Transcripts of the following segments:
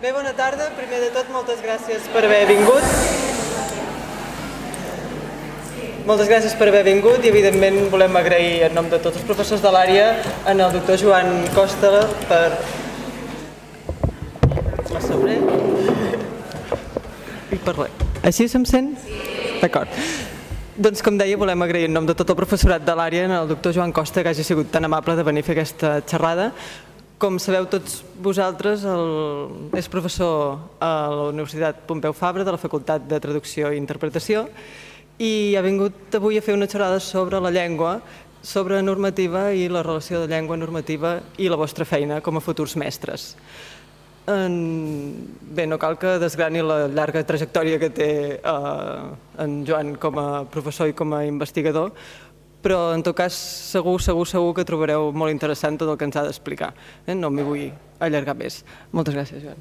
Bé, bona tarda. Primer de tot, moltes gràcies per haver vingut. Moltes gràcies per haver vingut i, evidentment, volem agrair en nom de tots els professors de l'àrea al doctor Joan Costa per... A sobre? Així se'm sent? D'acord. Doncs, com deia, volem agrair en nom de tot el professorat de l'àrea al doctor Joan Costa que hagi sigut tan amable de venir a fer aquesta xerrada. Com sabeu tots vosaltres, és professor a la Universitat Pompeu Fabra de la Facultat de Traducció i Interpretació i ha vingut avui a fer una xerrada sobre la llengua, sobre normativa i la relació de llengua normativa i la vostra feina com a futurs mestres. Bé, no cal que desgrani la llarga trajectòria que té en Joan com a professor i com a investigador, però en tot cas segur que trobareu molt interessant tot el que ens ha d'explicar. No m'hi vull allargar més. Moltes gràcies, Joan.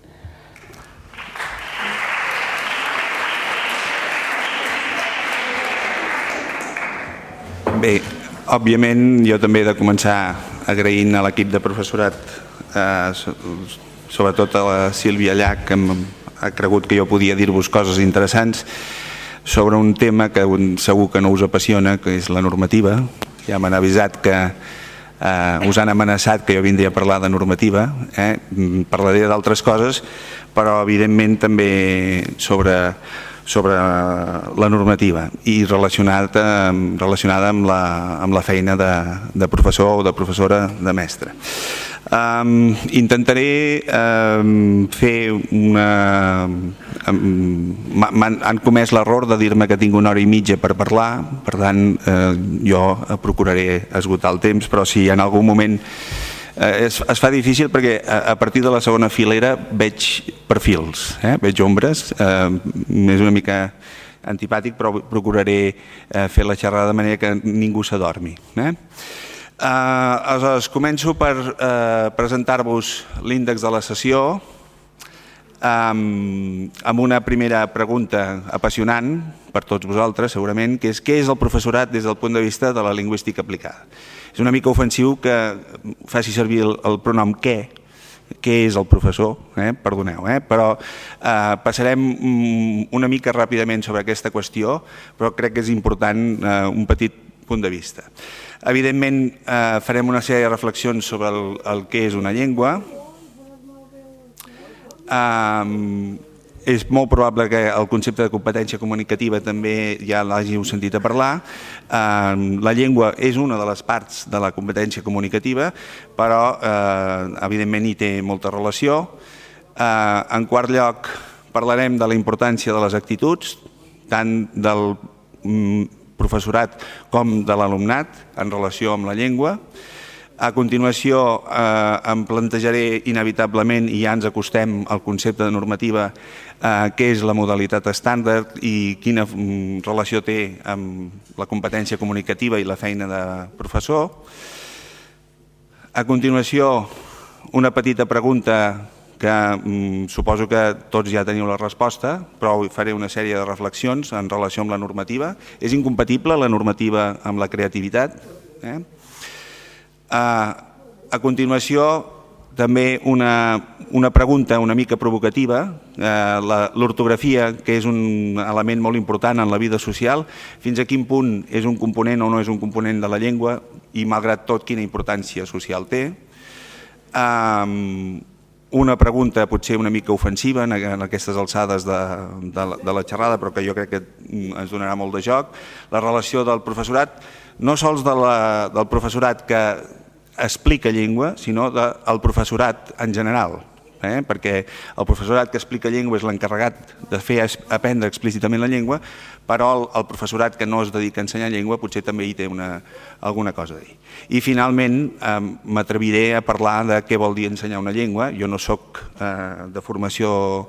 Bé, òbviament jo també he de començar agraint a l'equip de professorat, sobretot a la Sílvia Llach, que ha cregut que jo podia dir-vos coses interessants sobre un tema que segur que no us apassiona, que és la normativa. Ja m'han avisat que us han amenaçat que jo vindria a parlar de normativa. Parlaré d'altres coses, però evidentment també sobre la normativa i relacionada amb la feina de professor o de professora de mestre. Intentaré fer han comès l'error de dir-me que tinc 1 hora i mitja per parlar, per tant jo procuraré esgotar el temps, però si en algun moment es fa difícil perquè a partir de la segona filera veig perfils, veig ombres, és una mica antipàtic, però procuraré fer la xerrada de manera que ningú s'adormi. Aleshores, començo per presentar-vos l'índex de la sessió amb una primera pregunta apassionant per tots vosaltres, segurament, que és què és el professorat des del punt de vista de la lingüística aplicada. És una mica ofensiu que faci servir el pronom què és el professor, perdoneu, però passarem una mica ràpidament sobre aquesta qüestió, però crec que és important un petit punt de vista. Evidentment, farem una sèrie de reflexions sobre el que és una llengua. És molt probable que el concepte de competència comunicativa també ja l'hàgiu sentit a parlar. La llengua és una de les parts de la competència comunicativa, però evidentment hi té molta relació. En quart lloc, parlarem de la importància de les actituds, tant del professorat com de l'alumnat en relació amb la llengua. A continuació em plantejaré inevitablement, i ja ens acostem al concepte de normativa, què és la modalitat estàndard i quina relació té amb la competència comunicativa i la feina de professor. A continuació, una petita pregunta que suposo que tots ja teniu la resposta, però faré una sèrie de reflexions en relació amb la normativa. És incompatible la normativa amb la creativitat? A continuació, també una pregunta una mica provocativa, l'ortografia, que és un element molt important en la vida social, fins a quin punt és un component o no és un component de la llengua i, malgrat tot, quina importància social té. Una pregunta potser una mica ofensiva en aquestes alçades de la xerrada, però que jo crec que ens donarà molt de joc, la relació del professorat, no sols del professorat que explica llengua, sinó del professorat en general, perquè el professorat que explica llengua és l'encarregat de fer aprendre explícitament la llengua, però el professorat que no es dedica a ensenyar llengua potser també hi té alguna cosa a dir. I finalment m'atreviré a parlar de què vol dir ensenyar una llengua. Jo no soc de formació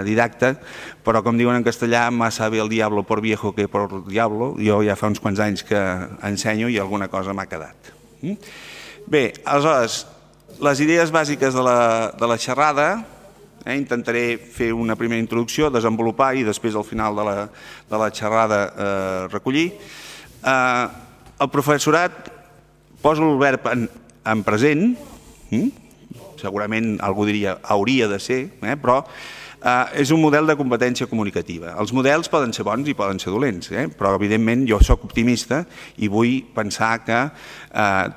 didacta, però com diuen en castellà, más sabe el diablo por viejo que por diablo. Jo ja fa uns quants anys que ensenyo i alguna cosa m'ha quedat. Bé, aleshores, les idees bàsiques de la xerrada, intentaré fer una primera introducció, desenvolupar i després al final de la xerrada recollir. El professorat, poso el verb en present, segurament algú diria hauria de ser, però és un model de competència comunicativa. Els models poden ser bons i poden ser dolents, però evidentment jo sóc optimista i vull pensar que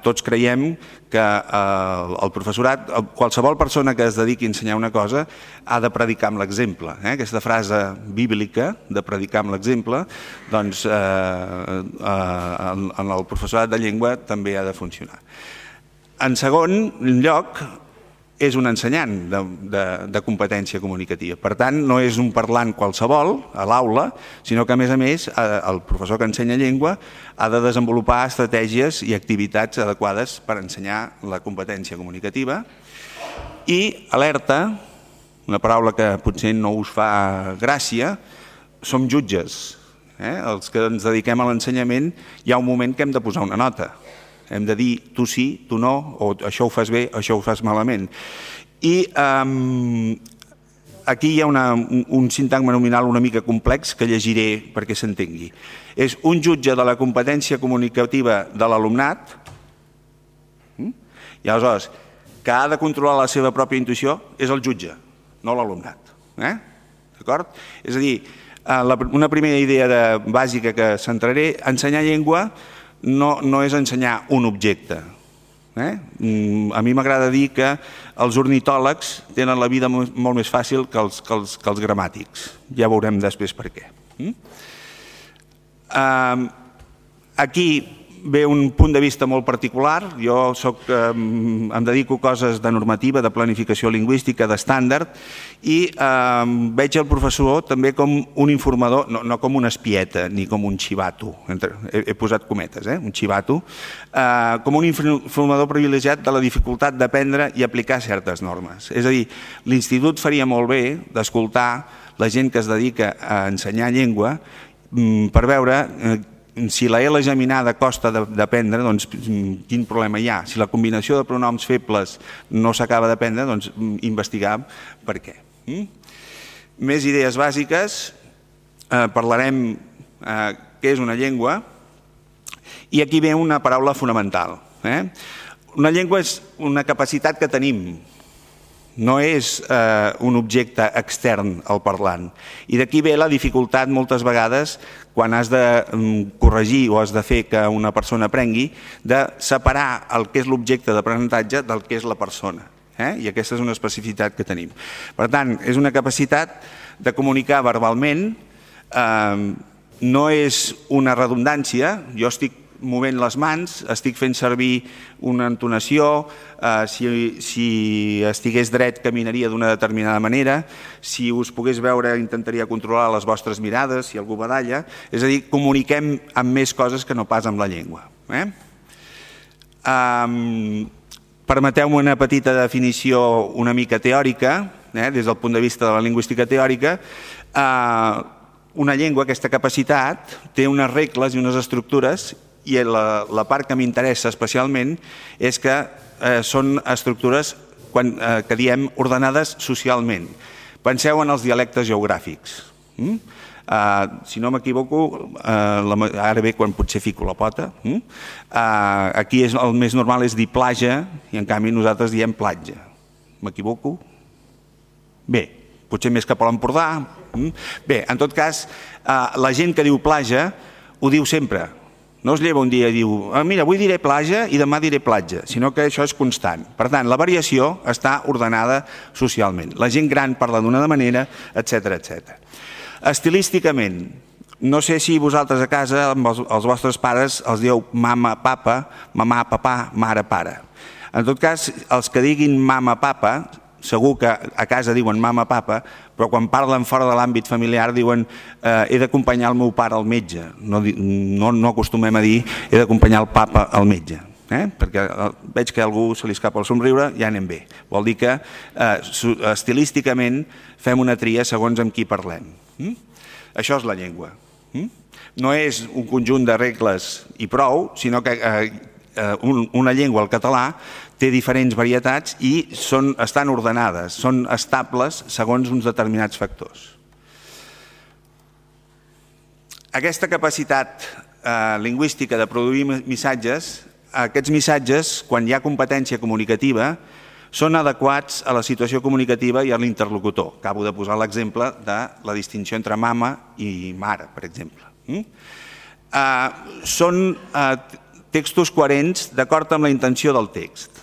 tots creiem que el professorat, qualsevol persona que es dediqui a ensenyar una cosa ha de predicar amb l'exemple. Aquesta frase bíblica de predicar amb l'exemple, doncs en el professorat de llengua també ha de funcionar. En segon lloc, és un ensenyant de competència comunicativa. Per tant, no és un parlant qualsevol a l'aula, sinó que, a més, el professor que ensenya llengua ha de desenvolupar estratègies i activitats adequades per ensenyar la competència comunicativa. I alerta, una paraula que potser no us fa gràcia, som jutges. Els que ens dediquem a l'ensenyament hi ha un moment que hem de posar una nota. Hem de dir tu sí, tu no, o això ho fas bé, això ho fas malament. I aquí hi ha un sintagma nominal una mica complex que llegiré perquè s'entengui. És un jutge de la competència comunicativa de l'alumnat i aleshores que ha de controlar la seva pròpia intuïció és el jutge, no l'alumnat. D'acord? És a dir, una primera idea bàsica que centraré, ensenyar llengua no és ensenyar un objecte. A mi m'agrada dir que els ornitòlegs tenen la vida molt més fàcil que els gramàtics. Ja veurem després per què. Aquí ve un punt de vista molt particular. Jo em dedico a coses de normativa, de planificació lingüística, d'estàndard, i veig el professor també com un informador, no com una espieta ni com un xivato, he posat cometes, un xivato, com un informador privilegiat de la dificultat d'aprendre i aplicar certes normes. És a dir, l'institut faria molt bé d'escoltar la gent que es dedica a ensenyar llengua per veure si la L geminada costa d'aprendre, doncs quin problema hi ha. Si la combinació de pronoms febles no s'acaba d'aprendre, doncs investigar per què. Més idees bàsiques, parlarem què és una llengua, i aquí ve una paraula fonamental. Una llengua és una capacitat que tenim, no és un objecte extern al parlant. I d'aquí ve la dificultat moltes vegades quan has de corregir o has de fer que una persona aprengui, de separar el que és l'objecte d'aprenentatge del que és la persona. I aquesta és una especificitat que tenim. Per tant, és una capacitat de comunicar verbalment, no és una redundància, jo estic movent les mans, estic fent servir una entonació, si estigués dret caminaria d'una determinada manera, si us pogués veure intentaria controlar les vostres mirades, si algú badalla, és a dir, comuniquem amb més coses que no pas amb la llengua. Permeteu-me una petita definició una mica teòrica, des del punt de vista de la lingüística teòrica. Una llengua, aquesta capacitat, té unes regles i unes estructures, i la part que m'interessa especialment és que són estructures que diem ordenades socialment. Penseu en els dialectes geogràfics. Si no m'equivoco, ara ve quan potser fico la pota, aquí el més normal és dir platja i en canvi nosaltres diem platja. M'equivoco? Bé, potser més cap a l'Empordà. Bé, en tot cas, la gent que diu platja ho diu sempre. No es lleva un dia i diu, mira, avui diré platja i demà diré platja, sinó que això és constant. Per tant, la variació està ordenada socialment. La gent gran parla d'una manera, etc. Estilísticament, no sé si vosaltres a casa, amb els vostres pares, els dieu mama, papa, mamà, papà, mare, pare. En tot cas, els que diguin mama, papa, segur que a casa diuen mama, papa, però quan parlen fora de l'àmbit familiar diuen he d'acompanyar el meu pare al metge. No acostumem a dir he d'acompanyar el papa al metge, perquè veig que a algú se li escapa el somriure, ja anem bé. Vol dir que estilísticament fem una tria segons amb qui parlem. Això és la llengua. No és un conjunt de regles i prou, sinó que una llengua, el català, té diferents varietats i estan ordenades, són estables segons uns determinats factors. Aquesta capacitat lingüística de produir missatges, aquests missatges, quan hi ha competència comunicativa, són adequats a la situació comunicativa i a l'interlocutor. Acabo de posar l'exemple de la distinció entre mama i mare, per exemple. Són textos coherents d'acord amb la intenció del text.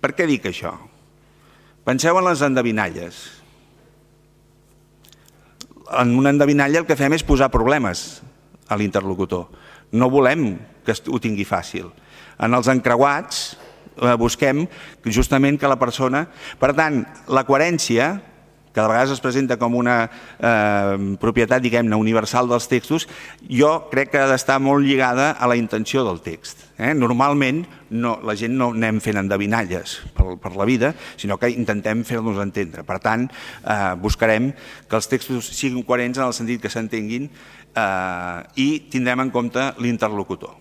Per què dic això? Penseu en les endevinalles. En una endevinalla el que fem és posar problemes a l'interlocutor. No volem que ho tingui fàcil. En els encreuats busquem justament que la persona... Per tant, la coherència, que de vegades es presenta com una propietat, diguem-ne, universal dels textos, jo crec que ha d'estar molt lligada a la intenció del text. Normalment la gent no anem fent endevinalles per la vida, sinó que intentem fer-nos entendre. Per tant, buscarem que els textos siguin coherents en el sentit que s'entenguin i tindrem en compte l'interlocutor.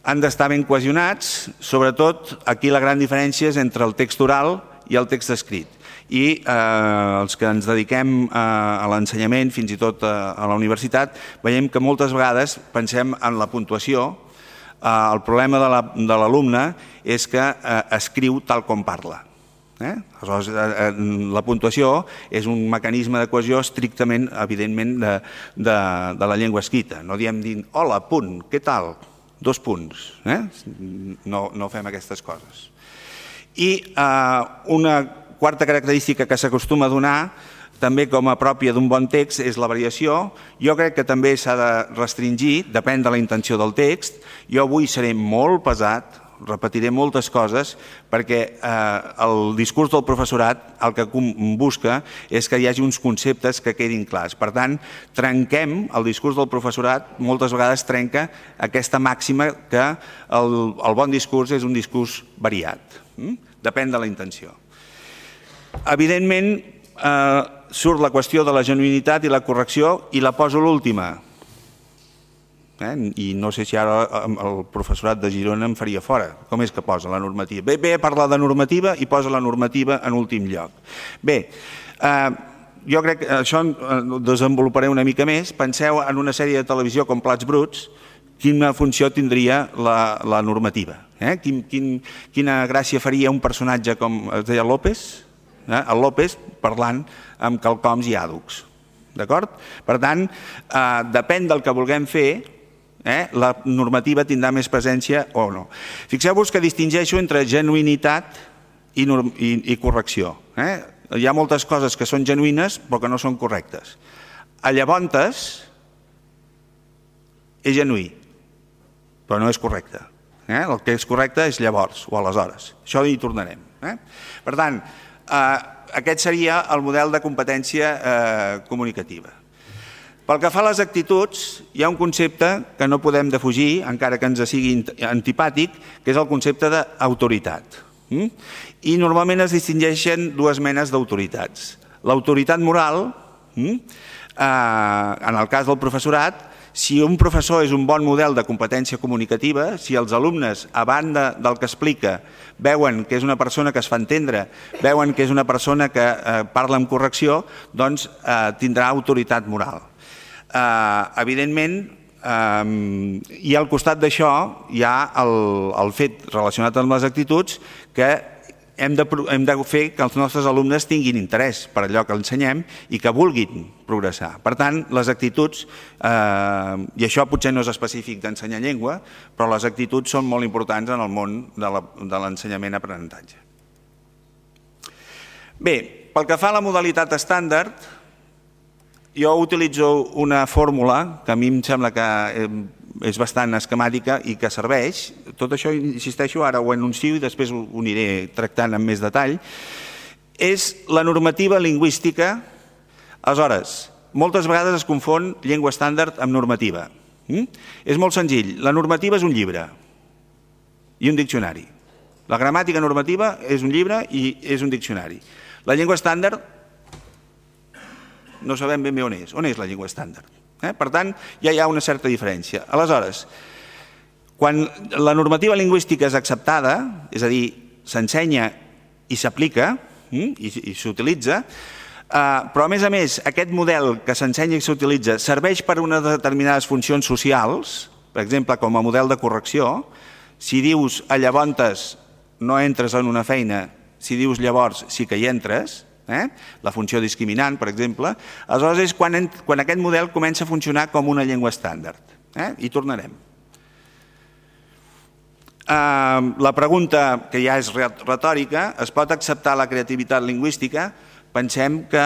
Han d'estar ben cohesionats, sobretot aquí la gran diferència és entre el text oral i el text escrit. I els que ens dediquem a l'ensenyament, fins i tot a la universitat, veiem que moltes vegades pensem en la puntuació. El problema de l'alumne és que escriu tal com parla. Aleshores, la puntuació és un mecanisme de cohesió estrictament, evidentment, de la llengua escrita. No diem dient, hola, punt, què tal? 2 punts. No fem aquestes coses. I una quarta característica que s'acostuma a donar, també com a pròpia d'un bon text, és la variació. Jo crec que també s'ha de restringir, depèn de la intenció del text. Jo avui seré molt pesat, repetiré moltes coses, perquè el discurs del professorat el que busca és que hi hagi uns conceptes que quedin clars. Per tant, trenquem el discurs del professorat, moltes vegades trenca aquesta màxima que el bon discurs és un discurs variat. Depèn de la intenció. Evidentment, surt la qüestió de la genuïnitat i la correcció i la poso l'última. I no sé si ara el professorat de Girona em faria fora. Com és que posa la normativa? Ve a parlar de normativa i posa la normativa en últim lloc. Bé, jo crec que això ho desenvoluparé una mica més. Penseu en una sèrie de televisió com Plats Bruts, quina funció tindria la normativa. Quina gràcia faria un personatge com es deia López, el López parlant amb quelcoms i àducs. D'acord? Per tant, depèn del que vulguem fer, la normativa tindrà més presència o no. Fixeu-vos que distingeixo entre genuïnitat i correcció. Hi ha moltes coses que són genuïnes però que no són correctes. A llavors és genuí, però no és correcte. El que és correcte és llavors o aleshores. Això hi tornarem. Per tant, aquest seria el model de competència comunicativa. Pel que fa a les actituds, hi ha un concepte que no podem defugir, encara que ens sigui antipàtic, que és el concepte d'autoritat. I normalment es distingeixen 2 menes d'autoritats. L'autoritat moral, en el cas del professorat, si un professor és un bon model de competència comunicativa, si els alumnes, a banda del que explica, veuen que és una persona que es fa entendre, veuen que és una persona que parla amb correcció, doncs tindrà autoritat moral. Evidentment, i al costat d'això hi ha el fet relacionat amb les actituds que hem de fer que els nostres alumnes tinguin interès per allò que ensenyem i que vulguin progressar. Per tant, les actituds, i això potser no és específic d'ensenyar llengua, però les actituds són molt importants en el món de l'ensenyament-aprenentatge. Bé, pel que fa a la modalitat estàndard, jo utilitzo una fórmula que a mi em sembla que és bastant esquemàtica i que serveix. Tot això, insisteixo, ara ho anuncio i després ho aniré tractant amb més detall. És la normativa lingüística. Aleshores, moltes vegades es confon llengua estàndard amb normativa. És molt senzill. La normativa és un llibre i un diccionari. La gramàtica normativa és un llibre i és un diccionari. La llengua estàndard no sabem ben bé on és. On és la llengua estàndard? Per tant, ja hi ha una certa diferència. Aleshores, quan la normativa lingüística és acceptada, és a dir, s'ensenya i s'aplica i s'utilitza, però a més, aquest model que s'ensenya i s'utilitza serveix per a unes determinades funcions socials, per exemple, com a model de correcció. Si dius a llavors no entres en una feina, si dius llavors sí que hi entres, la funció discriminant, per exemple, aleshores és quan aquest model comença a funcionar com una llengua estàndard. Hi tornarem. La pregunta, que ja és retòrica, es pot acceptar la creativitat lingüística? Pensem que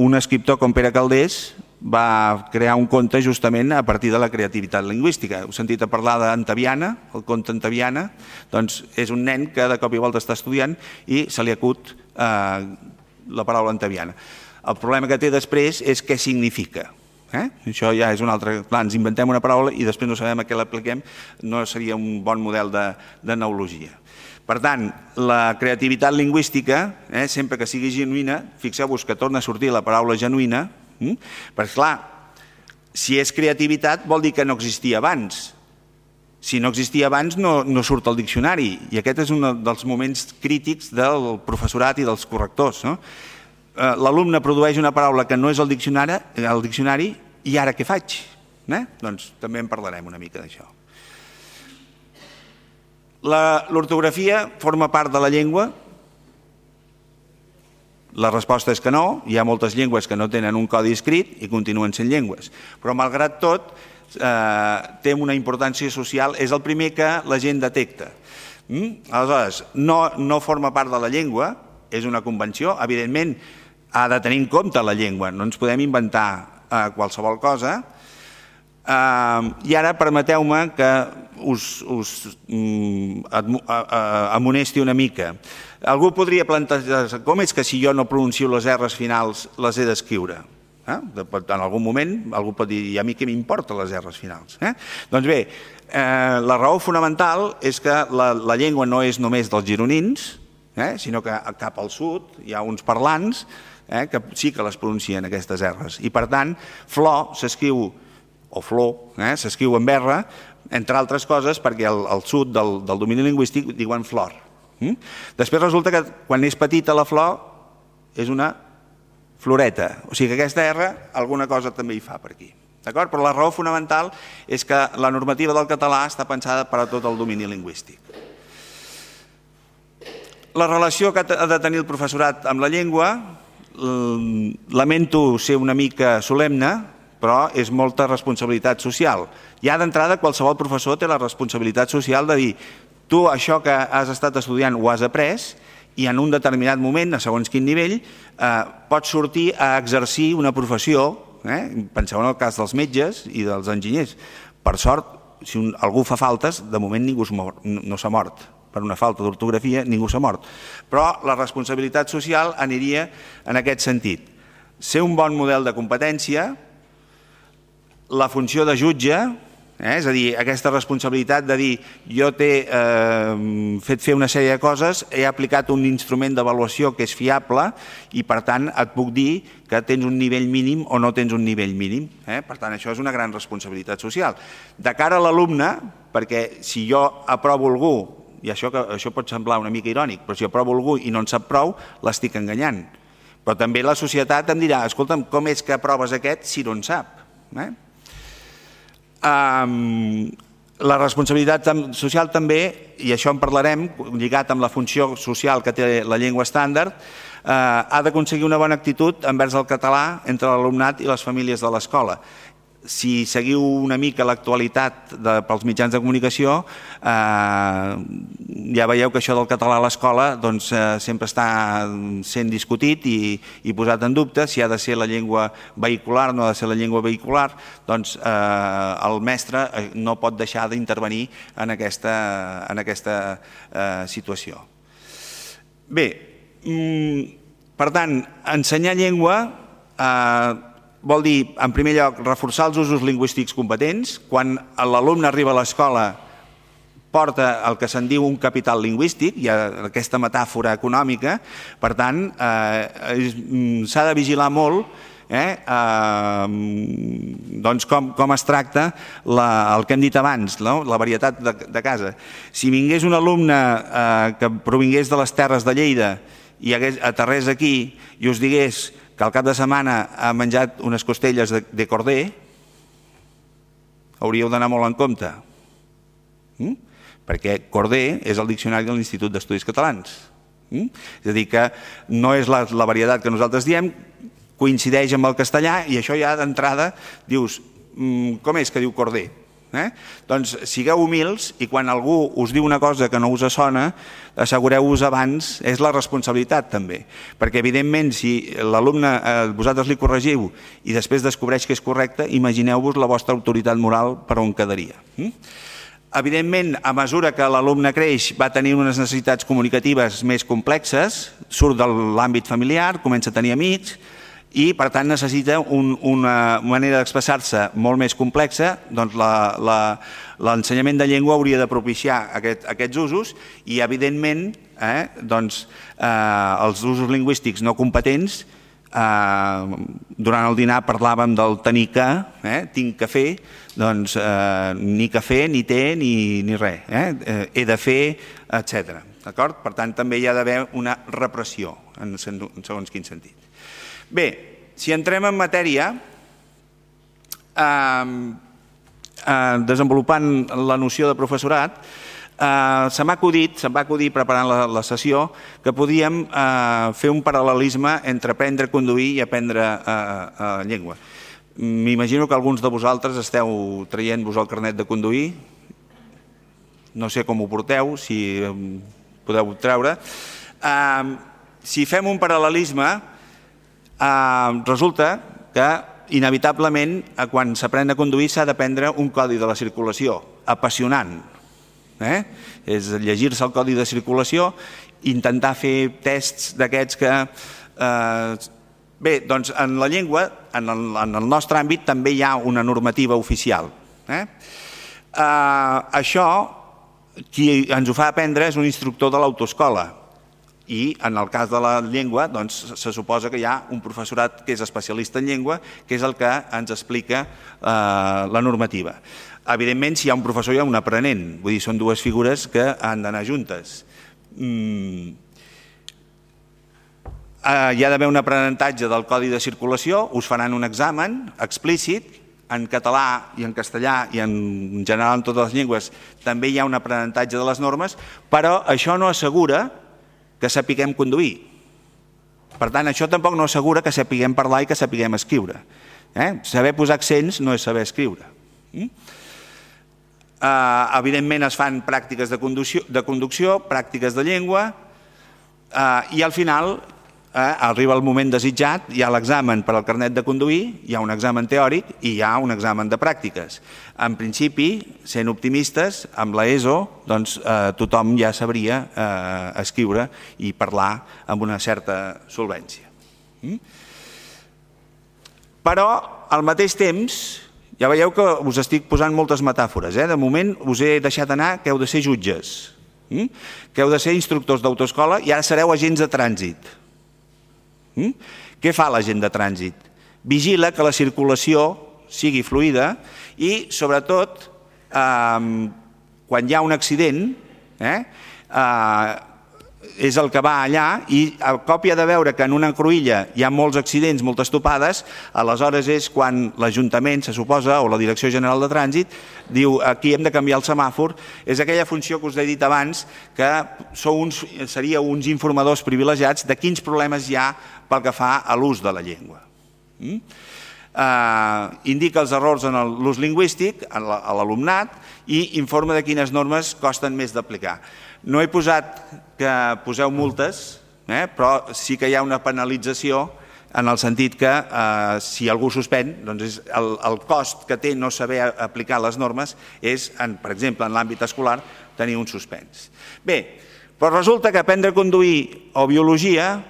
un escriptor com Pere Calders va crear un conte justament a partir de la creativitat lingüística. Heu sentit a parlar d'Antaviana, el conte Antaviana? Doncs és un nen que de cop i volta està estudiant i se li acut la paraula Antaviana. El problema que té després és què significa. Això ja és un altre... Clar, ens inventem una paraula i després no sabem a què l'apliquem, no seria un bon model de neologia. Per tant, la creativitat lingüística, sempre que sigui genuïna, fixeu-vos que torna a sortir la paraula genuïna, perquè clar, si és creativitat vol dir que no existia abans. Si no existia abans no surt al diccionari i aquest és un dels moments crítics del professorat i dels correctors. L'alumne produeix una paraula que no és al diccionari i ara què faig? Doncs també en parlarem una mica d'això. L'ortografia forma part de la llengua? La resposta és que no, hi ha moltes llengües que no tenen un codi escrit i continuen sent llengües, però malgrat tot té una importància social, és el primer que la gent detecta. Aleshores, no forma part de la llengua, és una convenció, evidentment ha de tenir en compte la llengua, no ens podem inventar qualsevol cosa. I ara permeteu-me que us amonesti una mica. Algú podria plantejar com és que si jo no pronuncio les R's finals les he d'escriure? En algun moment algú pot dir, i a mi què m'importa les R's finals? Doncs bé, la raó fonamental és que la llengua no és només dels gironins, sinó que cap al sud hi ha uns parlants que sí que les pronuncien aquestes R's. I per tant, flor s'escriu, o flor, s'escriu amb R, entre altres coses perquè al sud del domini lingüístic diuen flor. Després resulta que quan és petita la flor és una floreta, o sigui que aquesta R alguna cosa també hi fa per aquí. Però la raó fonamental és que la normativa del català està pensada per a tot el domini lingüístic. La relació que ha de tenir el professorat amb la llengua, lamento ser una mica solemne, però és molta responsabilitat social. Ja d'entrada qualsevol professor té la responsabilitat social de dir tu això que has estat estudiant ho has après i en un determinat moment, a segons quin nivell, pots sortir a exercir una professió. Penseu en el cas dels metges i dels enginyers. Per sort, si algú fa faltes, de moment ningú no s'ha mort. Per una falta d'ortografia ningú s'ha mort. Però la responsabilitat social aniria en aquest sentit. Ser un bon model de competència, la funció de jutge, és a dir, aquesta responsabilitat de dir jo t'he fet fer una sèrie de coses, he aplicat un instrument d'avaluació que és fiable i per tant et puc dir que tens un nivell mínim o no tens un nivell mínim. Per tant, això és una gran responsabilitat social. De cara a l'alumne, perquè si jo aprovo algú, i això pot semblar una mica irònic, però si aprovo algú i no en sap prou, l'estic enganyant. Però també la societat em dirà, escolta'm, com és que aproves aquest si no en sap? La responsabilitat social també, i això en parlarem, lligat amb la funció social que té la llengua estàndard, ha d'aconseguir una bona actitud envers el català entre l'alumnat i les famílies de l'escola. Si seguiu una mica l'actualitat pels mitjans de comunicació, ja veieu que això del català a l'escola sempre està sent discutit i posat en dubte si ha de ser la llengua vehicular o no ha de ser la llengua vehicular. Doncs el mestre no pot deixar d'intervenir en aquesta situació. Bé, per tant, ensenyar llengua vol dir, en primer lloc, reforçar els usos lingüístics competents. Quan l'alumne arriba a l'escola porta el que se'n diu un capital lingüístic, hi ha aquesta metàfora econòmica, per tant, s'ha de vigilar molt com es tracta el que hem dit abans, la varietat de casa. Si vingués un alumne que provingués de les terres de Lleida i aterrés aquí i us digués que al cap de setmana ha menjat unes costelles de corder, hauríeu d'anar molt en compte. Perquè corder és el diccionari de l'Institut d'Estudis Catalans. És a dir, que no és la varietat que nosaltres diem, coincideix amb el castellà i això ja d'entrada dius, com és que diu corder? Doncs sigueu humils i quan algú us diu una cosa que no us sona, assegureu-vos abans, és la responsabilitat també, perquè evidentment si l'alumne vosaltres li corregiu i després descobreix que és correcte, imagineu-vos la vostra autoritat moral per on quedaria. Evidentment, a mesura que l'alumne creix va tenir unes necessitats comunicatives més complexes, surt de l'àmbit familiar, comença a tenir amics, i per tant necessita una manera d'expressar-se molt més complexa, doncs l'ensenyament de llengua hauria de propiciar aquests usos i evidentment els usos lingüístics no competents, durant el dinar parlàvem del tenir que, tinc que fer, doncs ni cafè, ni té, ni res, he de fer, etc. Per tant també hi ha d'haver una repressió en segons quin sentit. Bé, si entrem en matèria, desenvolupant la noció de professorat, se'm va acudir preparant la sessió que podíem fer un paral·lelisme entre aprendre a conduir i aprendre llengua. M'imagino que alguns de vosaltres esteu traient-vos el carnet de conduir, no sé com ho porteu, si podeu treure. Si fem un paral·lelisme, resulta que inevitablement quan s'aprèn a conduir s'ha d'aprendre un codi de la circulació apassionant, és llegir-se el codi de circulació, intentar fer tests d'aquests que... Bé, doncs en la llengua, en el nostre àmbit també hi ha una normativa oficial. Això, qui ens ho fa aprendre és un instructor de l'autoescola, i en el cas de la llengua se suposa que hi ha un professorat que és especialista en llengua, que és el que ens explica la normativa. Evidentment, si hi ha un professor hi ha un aprenent, vull dir, són dues figures que han d'anar juntes. Hi ha d'haver un aprenentatge del codi de circulació, us faran un examen explícit, en català i en castellà i en general en totes les llengües també hi ha un aprenentatge de les normes, però això no assegura que sapiguem conduir. Per tant, això tampoc no assegura que sapiguem parlar i que sapiguem escriure. Saber posar accents no és saber escriure. Evidentment es fan pràctiques de conducció, pràctiques de llengua, i al final arriba el moment desitjat, hi ha l'examen per al carnet de conduir, hi ha un examen teòric i hi ha un examen de pràctiques. En principi, sent optimistes, amb l'ESO tothom ja sabria escriure i parlar amb una certa solvència. Però, al mateix temps, ja veieu que us estic posant moltes metàfores. De moment us he deixat anar que heu de ser jutges, que heu de ser instructors d'autoescola i ara sereu agents de trànsit. Què fa l'agent de trànsit? Vigila que la circulació sigui fluida i, sobretot, quan hi ha un accident, és el que va allà i a cop hi ha de veure que en una cruïlla hi ha molts accidents, moltes topades, aleshores és quan l'Ajuntament, se suposa, o la Direcció General de Trànsit, diu aquí hem de canviar el semàfor. És aquella funció que us he dit abans, que seríeu uns informadors privilegiats de quins problemes hi ha pel que fa a l'ús de la llengua. Indica els errors en l'ús lingüístic a l'alumnat i informa de quines normes costen més d'aplicar. No he posat que poseu multes, però sí que hi ha una penalització en el sentit que si algú suspèn, doncs el cost que té no saber aplicar les normes és, per exemple, en l'àmbit escolar, tenir un suspens. Bé, però resulta que aprendre a conduir o biologia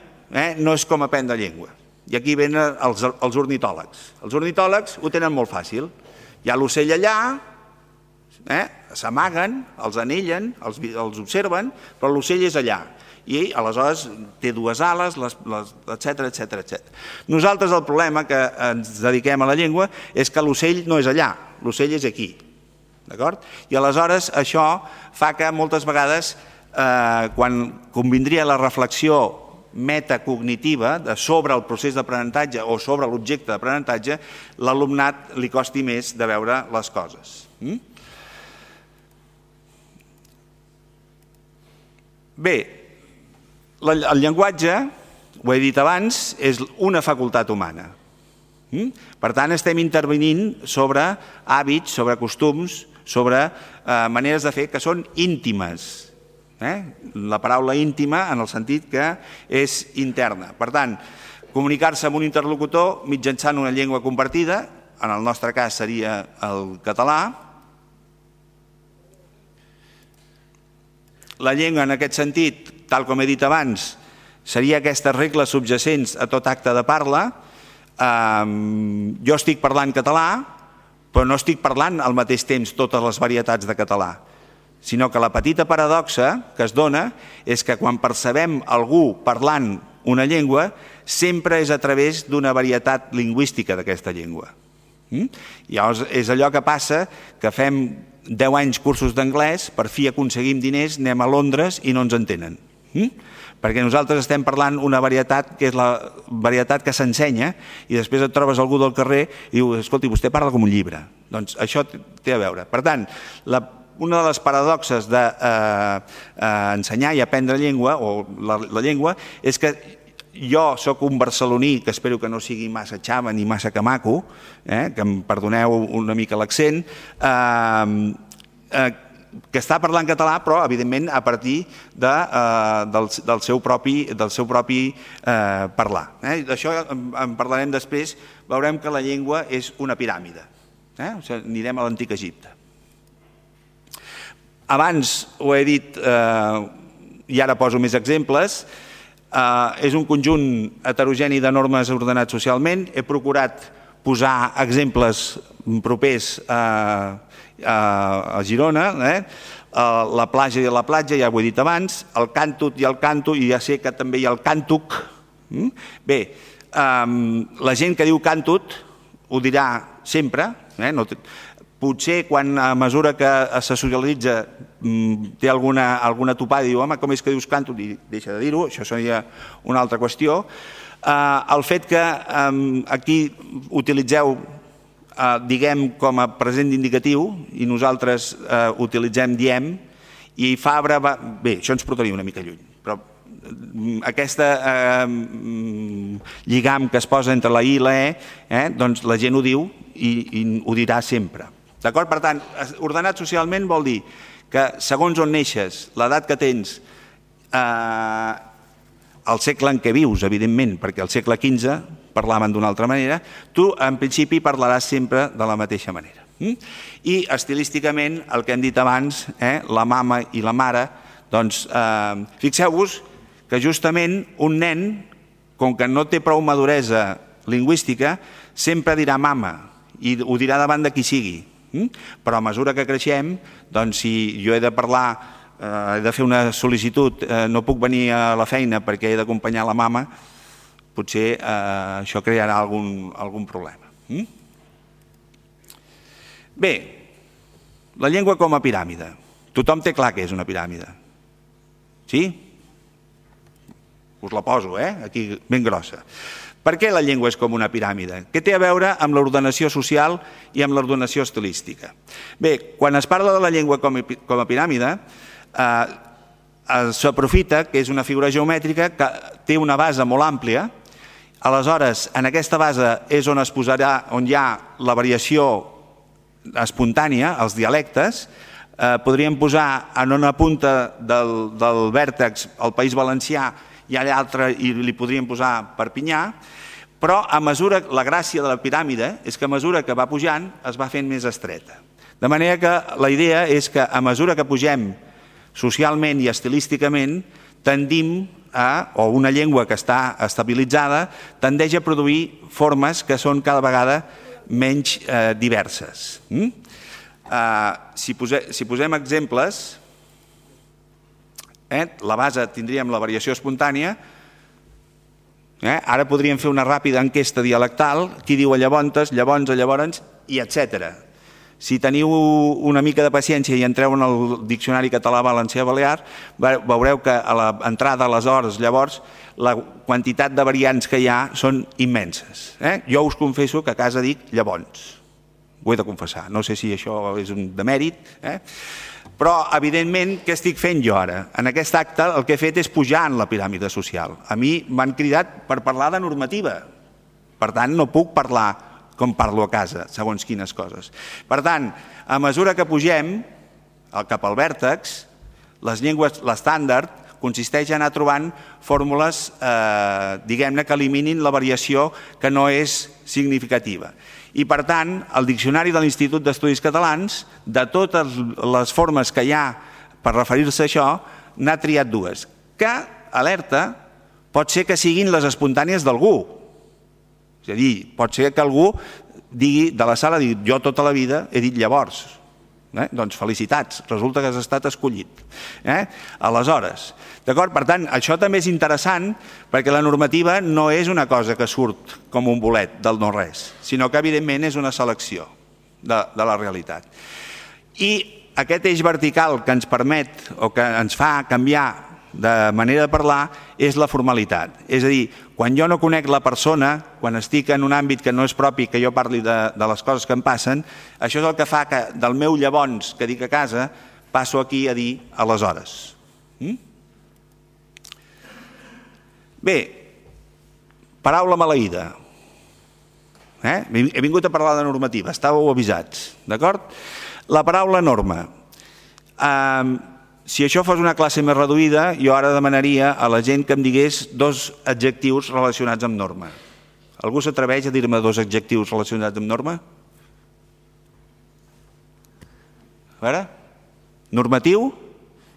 no és com aprendre llengua. I aquí venen els ornitòlegs. Els ornitòlegs ho tenen molt fàcil. Hi ha l'ocell allà, s'amaguen, els anellen, els observen, però l'ocell és allà. I aleshores té dues ales, etc. Nosaltres el problema que ens dediquem a la llengua és que l'ocell no és allà, l'ocell és aquí. I aleshores això fa que moltes vegades, quan convindria la reflexió metacognitiva sobre el procés d'aprenentatge o sobre l'objecte d'aprenentatge, l'alumnat li costi més de veure les coses. Bé, El llenguatge, ho he dit abans, és una facultat humana. Per tant, estem intervenint sobre hàbits, sobre costums, sobre maneres de fer que són íntimes. La paraula íntima en el sentit que és interna. Per tant, comunicar-se amb un interlocutor mitjançant una llengua compartida, en el nostre cas seria el català. La llengua, en aquest sentit, tal com he dit abans, seria aquestes regles subjacents a tot acte de parla. Jo estic parlant català, però no estic parlant al mateix temps totes les varietats de català, sinó que la petita paradoxa que es dona és que quan percebem algú parlant una llengua sempre és a través d'una varietat lingüística d'aquesta llengua. Llavors és allò que passa que fem 10 anys cursos d'anglès, per fi aconseguim diners, anem a Londres i no ens entenen. Perquè nosaltres estem parlant una varietat que és la varietat que s'ensenya i després et trobes algú del carrer i diu, escolti, vostè parla com un llibre. Doncs això té a veure. Per tant, una de les paradoxes d'ensenyar i aprendre llengua, o la llengua, és que jo sóc un barceloní, que espero que no sigui massa xava ni massa camaco, que em perdoneu una mica l'accent, que està parlant català, però evidentment a partir del seu propi parlar. D'això en parlarem després, veurem que la llengua és una piràmide. Anirem a l'antic Egipte. Abans ho he dit, i ara poso més exemples, és un conjunt heterogeni de normes ordenats socialment. He procurat posar exemples propers a Girona, la platja i la platja, ja ho he dit abans, el càntut i el canto, i ja sé que també hi ha el càntuc. Bé, la gent que diu càntut ho dirà sempre, potser quan a mesura que se socialitza té alguna topada i diu, home, com és que dius càntut? I deixa de dir-ho, això seria una altra qüestió. El fet que aquí utilitzeu diguem com a present indicatiu i nosaltres utilitzem diem, i Fabra va... Bé, això ens portaria una mica lluny, però aquesta lligam que es posa entre la I i la E, doncs la gent ho diu i ho dirà sempre. D'acord? Per tant, ordenat socialment vol dir que segons on neixes, l'edat que tens, el segle en què vius, evidentment, perquè al segle XV parlaven d'una altra manera, tu en principi parlaràs sempre de la mateixa manera. I estilísticament, el que hem dit abans, la mama i la mare, doncs fixeu-vos que justament un nen, com que no té prou maduresa lingüística, sempre dirà mama i ho dirà davant de qui sigui. Però a mesura que creixem, doncs si jo he de parlar, he de fer una sol·licitud, no puc venir a la feina perquè he d'acompanyar la mama, potser això crearà algun problema. Bé, la llengua com a piràmide. Tothom té clar que és una piràmide. Sí? Us la poso, aquí ben grossa. Per què la llengua és com una piràmide? Què té a veure amb l'ordenació social i amb l'ordenació estilística? Bé, quan es parla de la llengua com a piràmide, s'aprofita que és una figura geomètrica que té una base molt àmplia. Aleshores, en aquesta base és on es posarà, on hi ha la variació espontània, els dialectes. Podríem posar en una punta del vèrtex el País Valencià i a l'altre li podríem posar Perpinyà, però a mesura, la gràcia de la piràmide és que a mesura que va pujant es va fent més estreta. De manera que la idea és que a mesura que pugem socialment i estilísticament tendim o una llengua que està estabilitzada tendeix a produir formes que són cada vegada menys diverses. Si posem exemples, la base tindríem la variació espontània, ara podríem fer una ràpida enquesta dialectal, qui diu a llavors, llavors, i etc. Si teniu una mica de paciència i entreu en el diccionari català-valencià-balear, veureu que a l'entrada, aleshores, llavors, la quantitat de variants que hi ha són immenses. Jo us confesso que a casa dic llavors. ho he de confessar. No sé si això és un demèrit, però, evidentment, què estic fent jo ara? En aquest acte el que he fet és pujar en la piràmide social. A mi m'han cridat per parlar de normativa. Per tant, no puc parlar com parlo a casa, segons quines coses. Per tant, a mesura que pugem cap al vèrtex, les llengües, l'estàndard, consisteix en anar trobant fórmules, diguem-ne, que eliminin la variació que no és significativa. I, per tant, el Diccionari de l'Institut d'Estudis Catalans, de totes les formes que hi ha per referir-se a això, n'ha triat dues, que, alerta, pot ser que siguin les espontànies d'algú. És a dir, pot ser que algú digui de la sala, jo tota la vida he dit llavors. Doncs felicitats, resulta que has estat escollit. Aleshores, d'acord? Per tant, això també és interessant perquè la normativa no és una cosa que surt com un bolet del no-res, sinó que evidentment és una selecció de la realitat. I aquest eix vertical que ens permet o que ens fa canviar de manera de parlar és la formalitat. És a dir, quan jo no conec la persona, quan estic en un àmbit que no és propi que jo parli de les coses que em passen, això és el que fa que del meu llavors que dic a casa passo aquí a dir aleshores. Bé, paraula maleïda. He vingut a parlar de normativa, estàveu avisats, d'acord? La paraula norma. Si això fos una classe més reduïda, jo ara demanaria a la gent que em digués 2 adjectius relacionats amb norma. Algú s'atreveix a dir-me 2 adjectius relacionats amb norma? A veure? Normatiu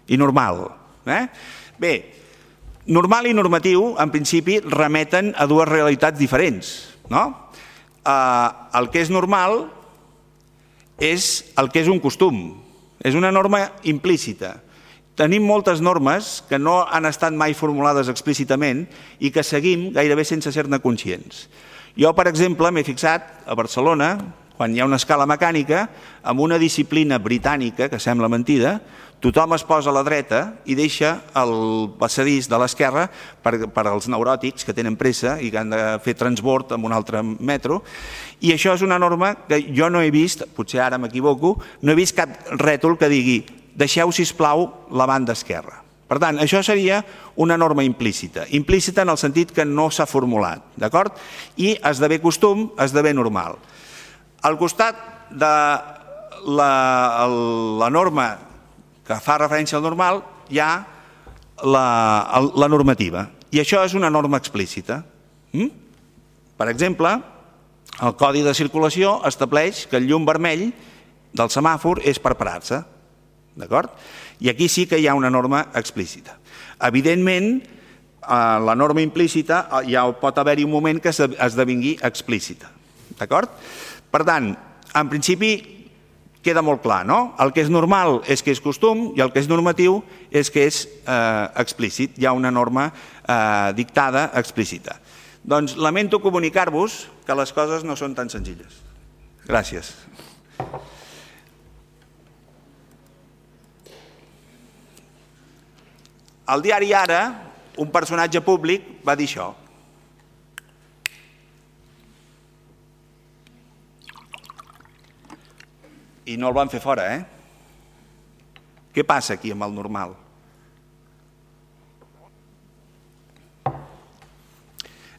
i normal. Bé, normal i normatiu, en principi, remeten a 2 realitats diferents. El que és normal és el que és un costum. És una norma implícita. Tenim moltes normes que no han estat mai formulades explícitament i que seguim gairebé sense ser-ne conscients. Jo, per exemple, m'he fixat a Barcelona, quan hi ha una escala mecànica, amb una disciplina britànica, que sembla mentida, tothom es posa a la dreta i deixa el passadís de l'esquerra per als neuròtics que tenen pressa i que han de fer transbord amb un altre metro. I això és una norma que jo no he vist, potser ara m'equivoco, no he vist cap rètol que digui deixeu, sisplau, la banda esquerra. Per tant, això seria una norma implícita. Implícita en el sentit que no s'ha formulat, d'acord? I esdevé costum, esdevé normal. Al costat de la norma que fa referència al normal hi ha la normativa. I això és una norma explícita. Per exemple, el Codi de Circulació estableix que el llum vermell del semàfor és per parar-se. D'acord? I aquí sí que hi ha una norma explícita. Evidentment, la norma implícita ja pot haver-hi un moment que esdevingui explícita. D'acord? Per tant, en principi queda molt clar, no? El que és normal és que és costum i el que és normatiu és que és explícit. Hi ha una norma dictada explícita. Doncs lamento comunicar-vos que les coses no són tan senzilles. Gràcies. Al diari Ara, un personatge públic va dir això. I no el van fer fora, Què passa aquí amb el normal?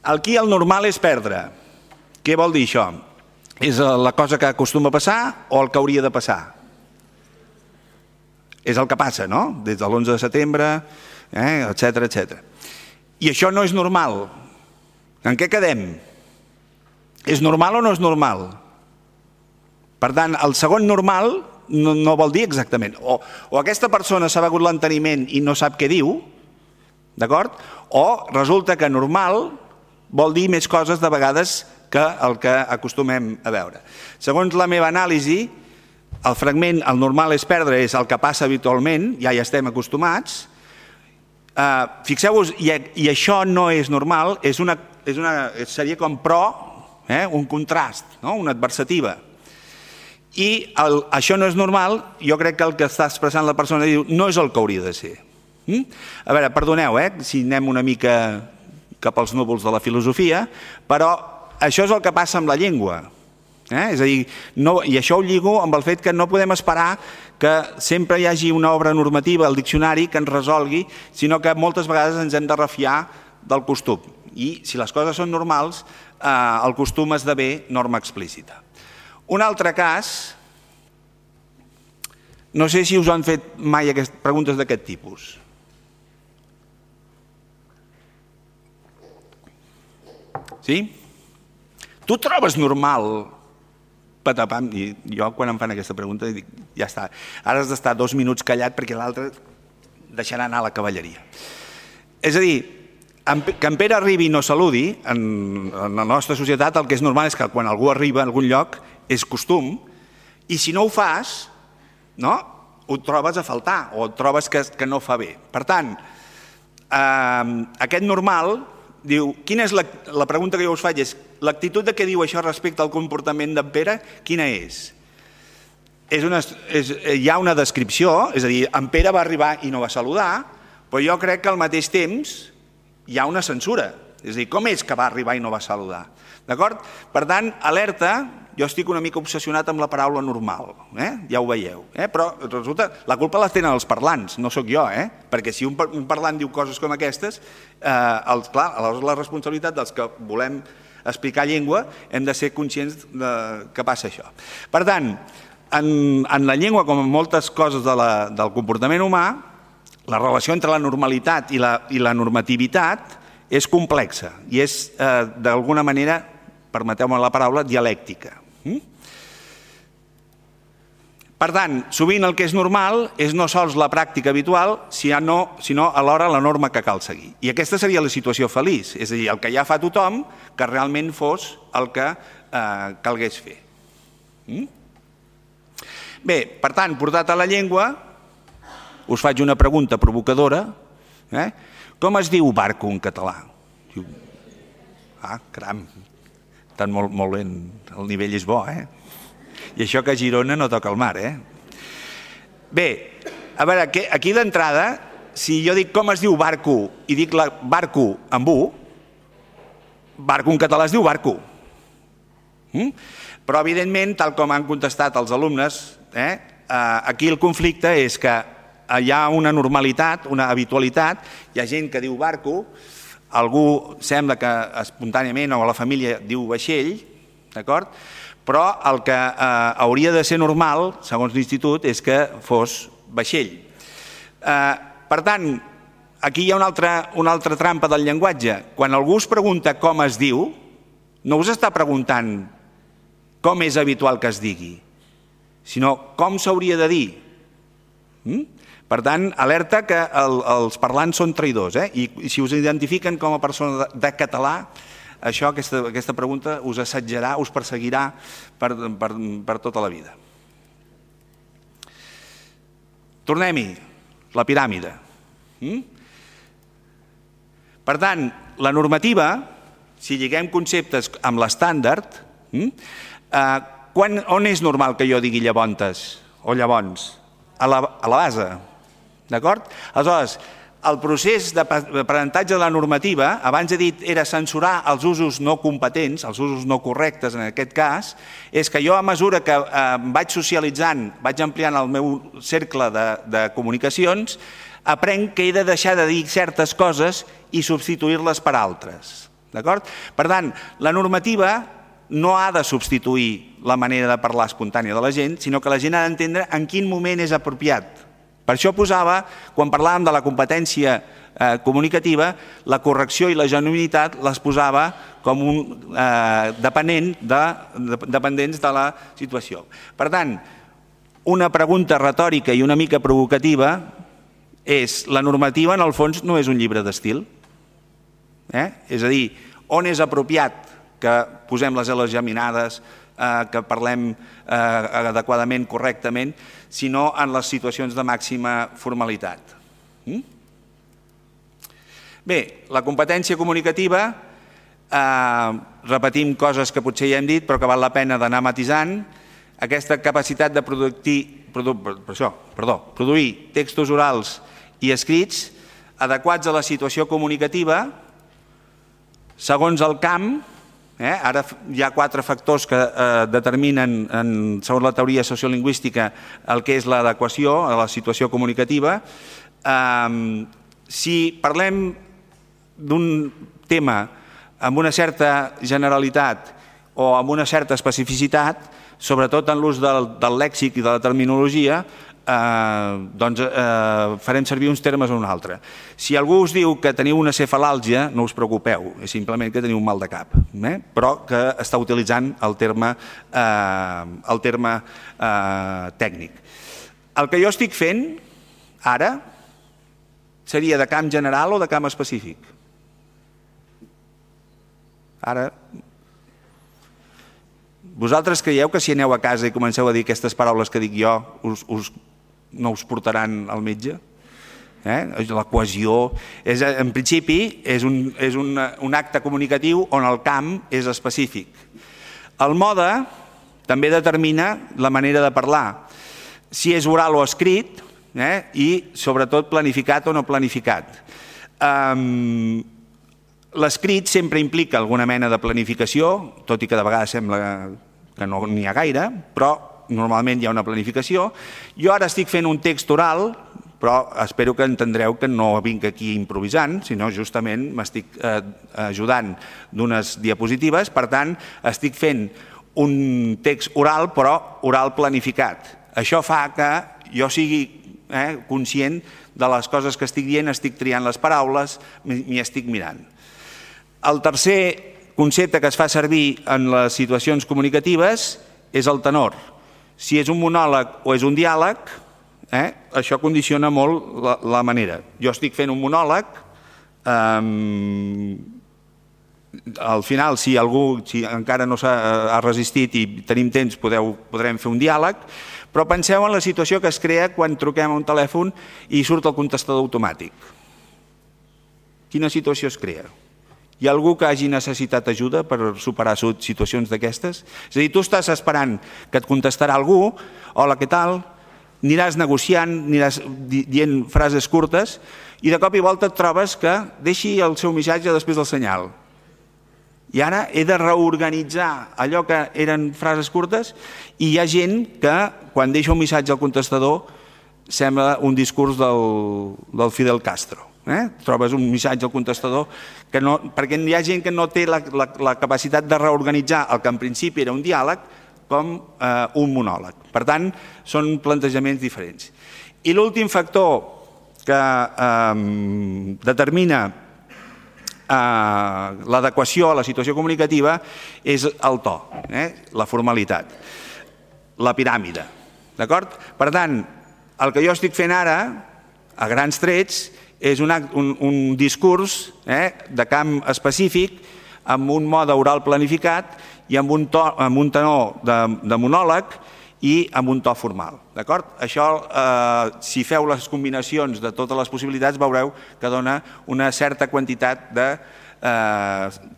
Aquí el normal és perdre. Què vol dir això? És la cosa que acostuma a passar o el que hauria de passar? És el que passa, no? Des de l'11 de setembre, etcètera. I això no és normal. En què quedem? És normal o no és normal? Per tant, el segon normal no vol dir exactament. O aquesta persona s'ha begut l'enteniment i no sap què diu, d'acord? O resulta que normal vol dir més coses de vegades que el que acostumem a veure. Segons la meva anàlisi, el fragment, el normal és perdre, és el que passa habitualment, ja hi estem acostumats. Fixeu-vos, i això no és normal, seria com pro, un contrast, una adversativa. I això no és normal, jo crec que el que està expressant la persona diu no és el que hauria de ser. A veure, perdoneu, si anem una mica cap als núvols de la filosofia, però això és el que passa amb la llengua. És a dir, i això ho lligo amb el fet que no podem esperar que sempre hi hagi una obra normativa al diccionari que ens resolgui, sinó que moltes vegades ens hem de refiar del costum. I si les coses són normals, el costum esdevé norma explícita. Un altre cas, no sé si us han fet mai preguntes d'aquest tipus. Sí? Tu trobes normal... Patapam, i jo quan em fan aquesta pregunta dic, ja està, ara has d'estar 2 minuts callat perquè l'altre deixarà anar la cavalleria. És a dir, que en Pere arribi i no saludi, en la nostra societat el que és normal és que quan algú arriba a algun lloc és costum, i si no ho fas, ho trobes a faltar o trobes que no fa bé. Per tant, aquest normal diu, quina és la pregunta que jo us faig és, l'actitud de què diu això respecte al comportament d'en Pere, quina és? Hi ha una descripció, és a dir, en Pere va arribar i no va saludar, però jo crec que al mateix temps hi ha una censura, és a dir, com és que va arribar i no va saludar? D'acord? Per tant, alerta, jo estic una mica obsessionat amb la paraula normal, ja ho veieu, però resulta, la culpa la tenen els parlants, no sóc jo, perquè si un parlant diu coses com aquestes, clar, aleshores la responsabilitat dels que volem explicar llengua hem de ser conscients que passa això. Per tant, en la llengua, com en moltes coses del comportament humà, la relació entre la normalitat i la normativitat és complexa i és, d'alguna manera, permeteu-me la paraula, dialèctica. Per tant, sovint el que és normal és no sols la pràctica habitual, sinó alhora la norma que cal seguir. I aquesta seria la situació feliç, és a dir, el que ja fa tothom, que realment fos el que calgués fer. Bé, per tant, portat a la llengua, us faig una pregunta provocadora. Com es diu barco en català? Caram, estan molt bé, el nivell és bo, I això que a Girona no toca el mar, Bé, a veure, aquí d'entrada, si jo dic com es diu barco i dic barco amb U, barco en català es diu barco. Però, evidentment, tal com han contestat els alumnes, aquí el conflicte és que hi ha una normalitat, una habitualitat, hi ha gent que diu barco, algú sembla que espontàniament o a la família diu vaixell, d'acord? Però el que hauria de ser normal, segons l'Institut, és que fos vaixell. Per tant, aquí hi ha una altra trampa del llenguatge. Quan algú us pregunta com es diu, no us està preguntant com és habitual que es digui, sinó com s'hauria de dir. Per tant, alerta que els parlants són traïdors, i si us identifiquen com a persona de català, això, aquesta pregunta us assetjarà, us perseguirà per tota la vida. Tornem-hi, la piràmide. Per tant, la normativa, si lliguem conceptes amb l'estàndard, on és normal que jo digui llavontes o llavons? A la base, d'acord? Aleshores, el procés d'aprenentatge de la normativa, abans he dit, era censurar els usos no competents, els usos no correctes en aquest cas, és que jo a mesura que vaig socialitzant, vaig ampliant el meu cercle de comunicacions, aprenc que he de deixar de dir certes coses i substituir-les per altres. D'acord? Per tant, la normativa no ha de substituir la manera de parlar espontània de la gent, sinó que la gent ha d'entendre en quin moment és apropiat. Per això posava, quan parlàvem de la competència comunicativa, la correcció i la genuïnitat les posava com dependents de la situació. Per tant, una pregunta retòrica i una mica provocativa és, la normativa en el fons no és un llibre d'estil. És a dir, on és apropiat que posem les L's geminades, que parlem adequadament, correctament, sinó en les situacions de màxima formalitat. Bé, la competència comunicativa, repetim coses que potser ja hem dit, però que val la pena d'anar matisant, aquesta capacitat de produir textos orals i escrits adequats a la situació comunicativa, segons el camp, Ara hi ha 4 factors que determinen, segons la teoria sociolingüística, el que és l'adequació a la situació comunicativa. Si parlem d'un tema amb una certa generalitat o amb una certa especificitat, sobretot en l'ús del lèxic i de la terminologia, doncs farem servir uns termes o un altre. Si algú us diu que teniu una cefalàlgia, no us preocupeu, és simplement que teniu un mal de cap, però que està utilitzant el terme tècnic. El que jo estic fent ara seria de camp general o de camp específic? Ara, vosaltres creieu que si aneu a casa i comenceu a dir aquestes paraules que dic jo, no us portaran al metge? La cohesió, en principi, és un acte comunicatiu on el camp és específic. El mode també determina la manera de parlar, si és oral o escrit, i sobretot planificat o no planificat. L'escrit sempre implica alguna mena de planificació, tot i que de vegades sembla que no n'hi ha gaire, però normalment hi ha una planificació. Jo ara estic fent un text oral, però espero que entendreu que no vinc aquí improvisant, sinó justament m'estic ajudant d'unes diapositives, per tant estic fent un text oral, però oral planificat. Això fa que jo sigui conscient de les coses que estic dient, estic triant les paraules, m'hi estic mirant. El tercer concepte que es fa servir en les situacions comunicatives és el tenor. Si és un monòleg o és un diàleg, això condiciona molt la manera. Jo estic fent un monòleg, al final, si algú encara no s'ha resistit i tenim temps, podrem fer un diàleg, però penseu en la situació que es crea quan truquem a un telèfon i surt el contestador automàtic. Quina situació es crea? Hi ha algú que hagi necessitat ajuda per superar situacions d'aquestes? És a dir, tu estàs esperant que et contestarà algú, hola, què tal? Aniràs negociant, aniràs dient frases curtes i de cop i volta et trobes que deixi el seu missatge després del senyal. I ara he de reorganitzar allò que eren frases curtes i hi ha gent que quan deixa un missatge al contestador sembla un discurs del Fidel Castro. Trobes un missatge al contestador perquè hi ha gent que no té la capacitat de reorganitzar el que en principi era un diàleg com un monòleg. Per tant, són plantejaments diferents. I l'últim factor que determina l'adequació a la situació comunicativa és el to, la formalitat, la piràmide. Per tant, el que jo estic fent ara, a grans trets, és un discurs de camp específic amb un mode oral planificat i amb un tenor de monòleg i amb un to formal. Això, si feu les combinacions de totes les possibilitats, veureu que dona una certa quantitat de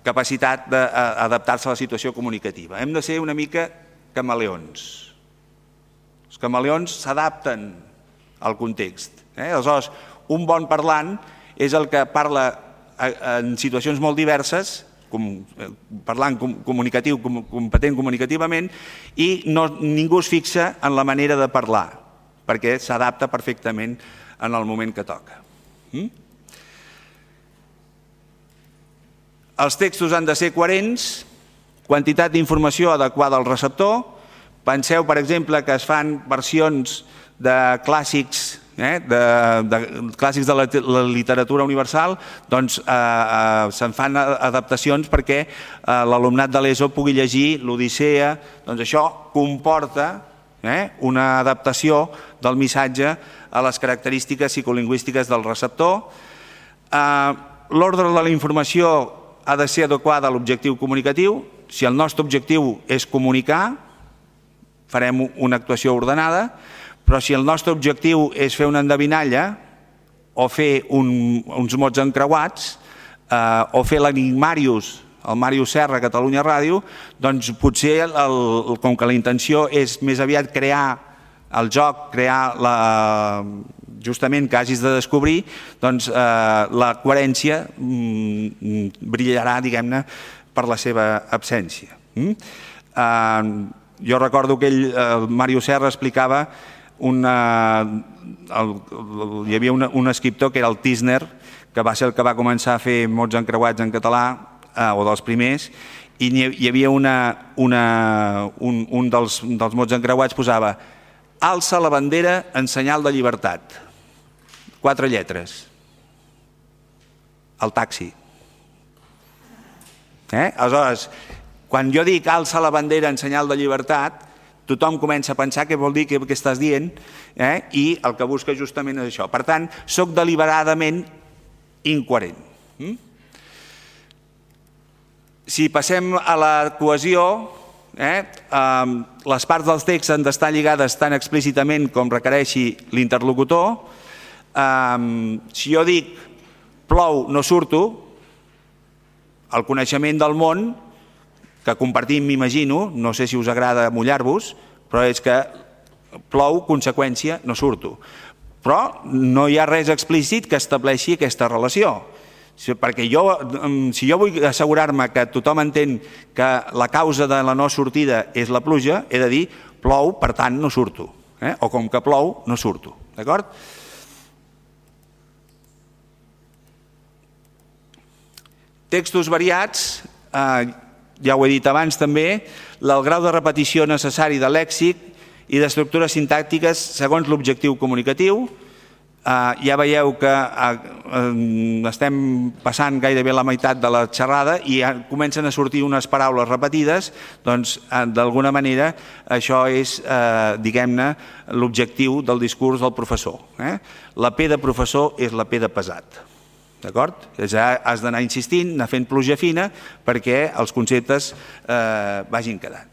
capacitat d'adaptar-se a la situació comunicativa. Hem de ser una mica camaleons. Els camaleons s'adapten al context. Aleshores, un bon parlant és el que parla en situacions molt diverses, parlant comunicatiu, competent comunicativament, i ningú es fixa en la manera de parlar, perquè s'adapta perfectament en el moment que toca. Els textos han de ser coherents, quantitat d'informació adequada al receptor. Penseu, per exemple, que es fan versions de clàssics de la literatura universal, doncs se'n fan adaptacions perquè l'alumnat de l'ESO pugui llegir l'Odissea. Doncs això comporta una adaptació del missatge a les característiques psicolingüístiques del receptor. L'ordre de la informació ha de ser adequada a l'objectiu comunicatiu. Si el nostre objectiu és comunicar, farem una actuació ordenada, però si el nostre objectiu és fer una endevinalla o fer uns mots encreuats o fer l'enigmàrius, el Màrius Serra a Catalunya Ràdio, doncs potser, com que la intenció és més aviat crear el joc, crear justament que hagis de descobrir, doncs la coherència brillarà, diguem-ne, per la seva absència. Jo recordo que el Mario Serra explicava, hi havia un escriptor que era el Tisner, que va ser el que va començar a fer mots encreuats en català, o dels primers, i hi havia un dels mots encreuats posava alça la bandera en senyal de llibertat. 4 lletres. El taxi. Aleshores, quan jo dic alça la bandera en senyal de llibertat, tothom comença a pensar què vol dir, què estàs dient, i el que busca justament és això. Per tant, soc deliberadament incoherent. Si passem a la cohesió, les parts dels texts han d'estar lligades tan explícitament com requereixi l'interlocutor. Si jo dic plou, no surto, el coneixement del món que compartim, m'imagino, no sé si us agrada mullar-vos, però és que plou, conseqüència, no surto. Però no hi ha res explícit que estableixi aquesta relació. Perquè si jo vull assegurar-me que tothom entén que la causa de la no sortida és la pluja, he de dir plou, per tant no surto. O com que plou, no surto. D'acord? Textos variats, ja ho he dit abans també, el grau de repetició necessari de lèxic i d'estructures sintàctiques segons l'objectiu comunicatiu. Ja veieu que estem passant gairebé la meitat de la xerrada i comencen a sortir unes paraules repetides, doncs d'alguna manera això és, diguem-ne, l'objectiu del discurs del professor. La P de professor és la P de pesat. D'acord? Has d'anar insistint, anar fent pluja fina perquè els conceptes vagin quedant.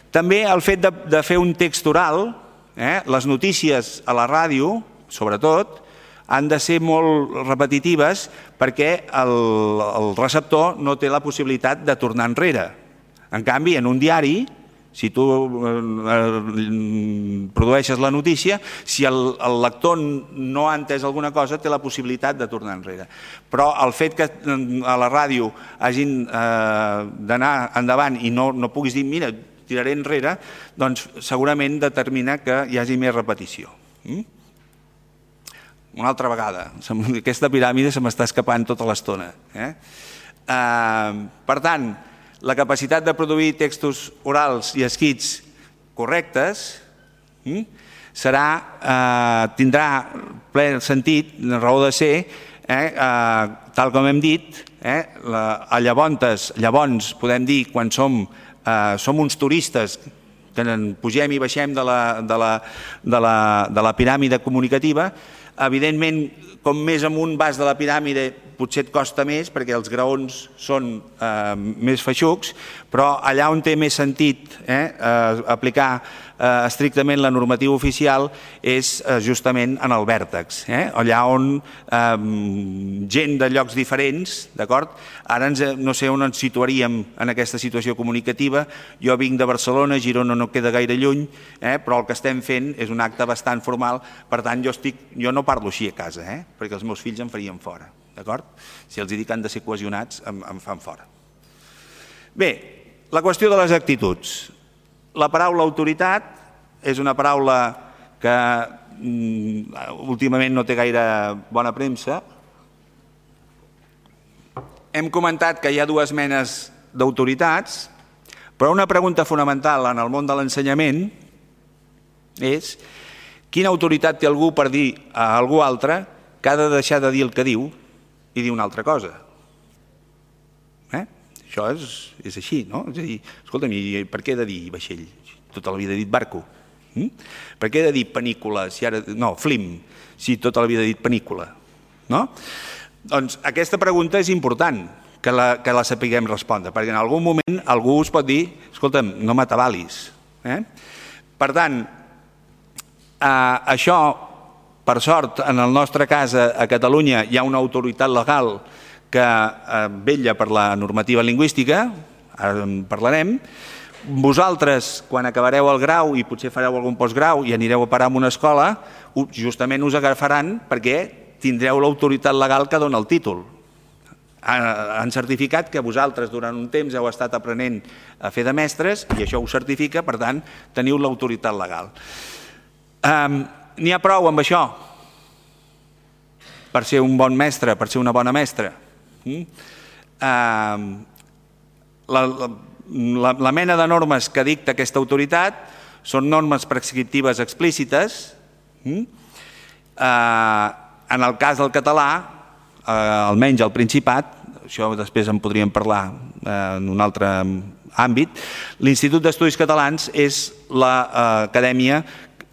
També el fet de fer un text oral, les notícies a la ràdio, sobretot, han de ser molt repetitives perquè el receptor no té la possibilitat de tornar enrere. En canvi, en un diari, si tu produeixes la notícia, si el lector no ha entès alguna cosa, té la possibilitat de tornar enrere. Però el fet que a la ràdio hagin d'anar endavant i no puguis dir, mira, tiraré enrere, doncs segurament determina que hi hagi més repetició. Una altra vegada, aquesta piràmide se m'està escapant tota l'estona. Per tant, la capacitat de produir textos orals i escrits correctes tindrà ple sentit, raó de ser, tal com hem dit, llavors podem dir quan som uns turistes que pugem i baixem de la piràmide comunicativa. Evidentment, com més amunt vas de la piràmide, potser et costa més perquè els graons són més feixucs, però allà on té més sentit aplicar estrictament la normativa oficial és justament en el vèrtex, allà on gent de llocs diferents, d'acord? Ara no sé on ens situaríem en aquesta situació comunicativa. Jo vinc de Barcelona, Girona no queda gaire lluny, però el que estem fent és un acte bastant formal, per tant jo no parlo així a casa, perquè els meus fills em farien fora, d'acord? Si els dic que han de ser cohesionats, em fan fora. Bé, la qüestió de les actituds. La paraula autoritat és una paraula que últimament no té gaire bona premsa. Hem comentat que hi ha dues menes d'autoritats, però una pregunta fonamental en el món de l'ensenyament és quina autoritat té algú per dir a algú altre que ha de deixar de dir el que diu i dir una altra cosa. Això és així, no? És a dir, escolta'm, per què he de dir vaixell? Tota la vida he dit barco. Per què he de dir panícula? No, flim, si tota la vida he dit panícula. Doncs aquesta pregunta és important que la sapiguem respondre, perquè en algun moment algú us pot dir, escolta'm, no m'atabalis. Per tant, això, per sort, en el nostre cas a Catalunya hi ha una autoritat legal que vetlla per la normativa lingüística, ara en parlarem. Vosaltres, quan acabareu el grau i potser fareu algun postgrau i anireu a parar a una escola, justament us agafaran perquè tindreu l'autoritat legal que dona el títol. han certificat que vosaltres durant un temps heu estat aprenent a fer de mestres i això ho certifica, per tant, teniu l'autoritat legal. N'hi ha prou amb això per ser un bon mestre, per ser una bona mestra? La mena de normes que dicta aquesta autoritat són normes prescriptives explícites. En el cas del català, almenys al Principat, això després en podríem parlar en un altre àmbit, l'Institut d'Estudis Catalans és l'acadèmia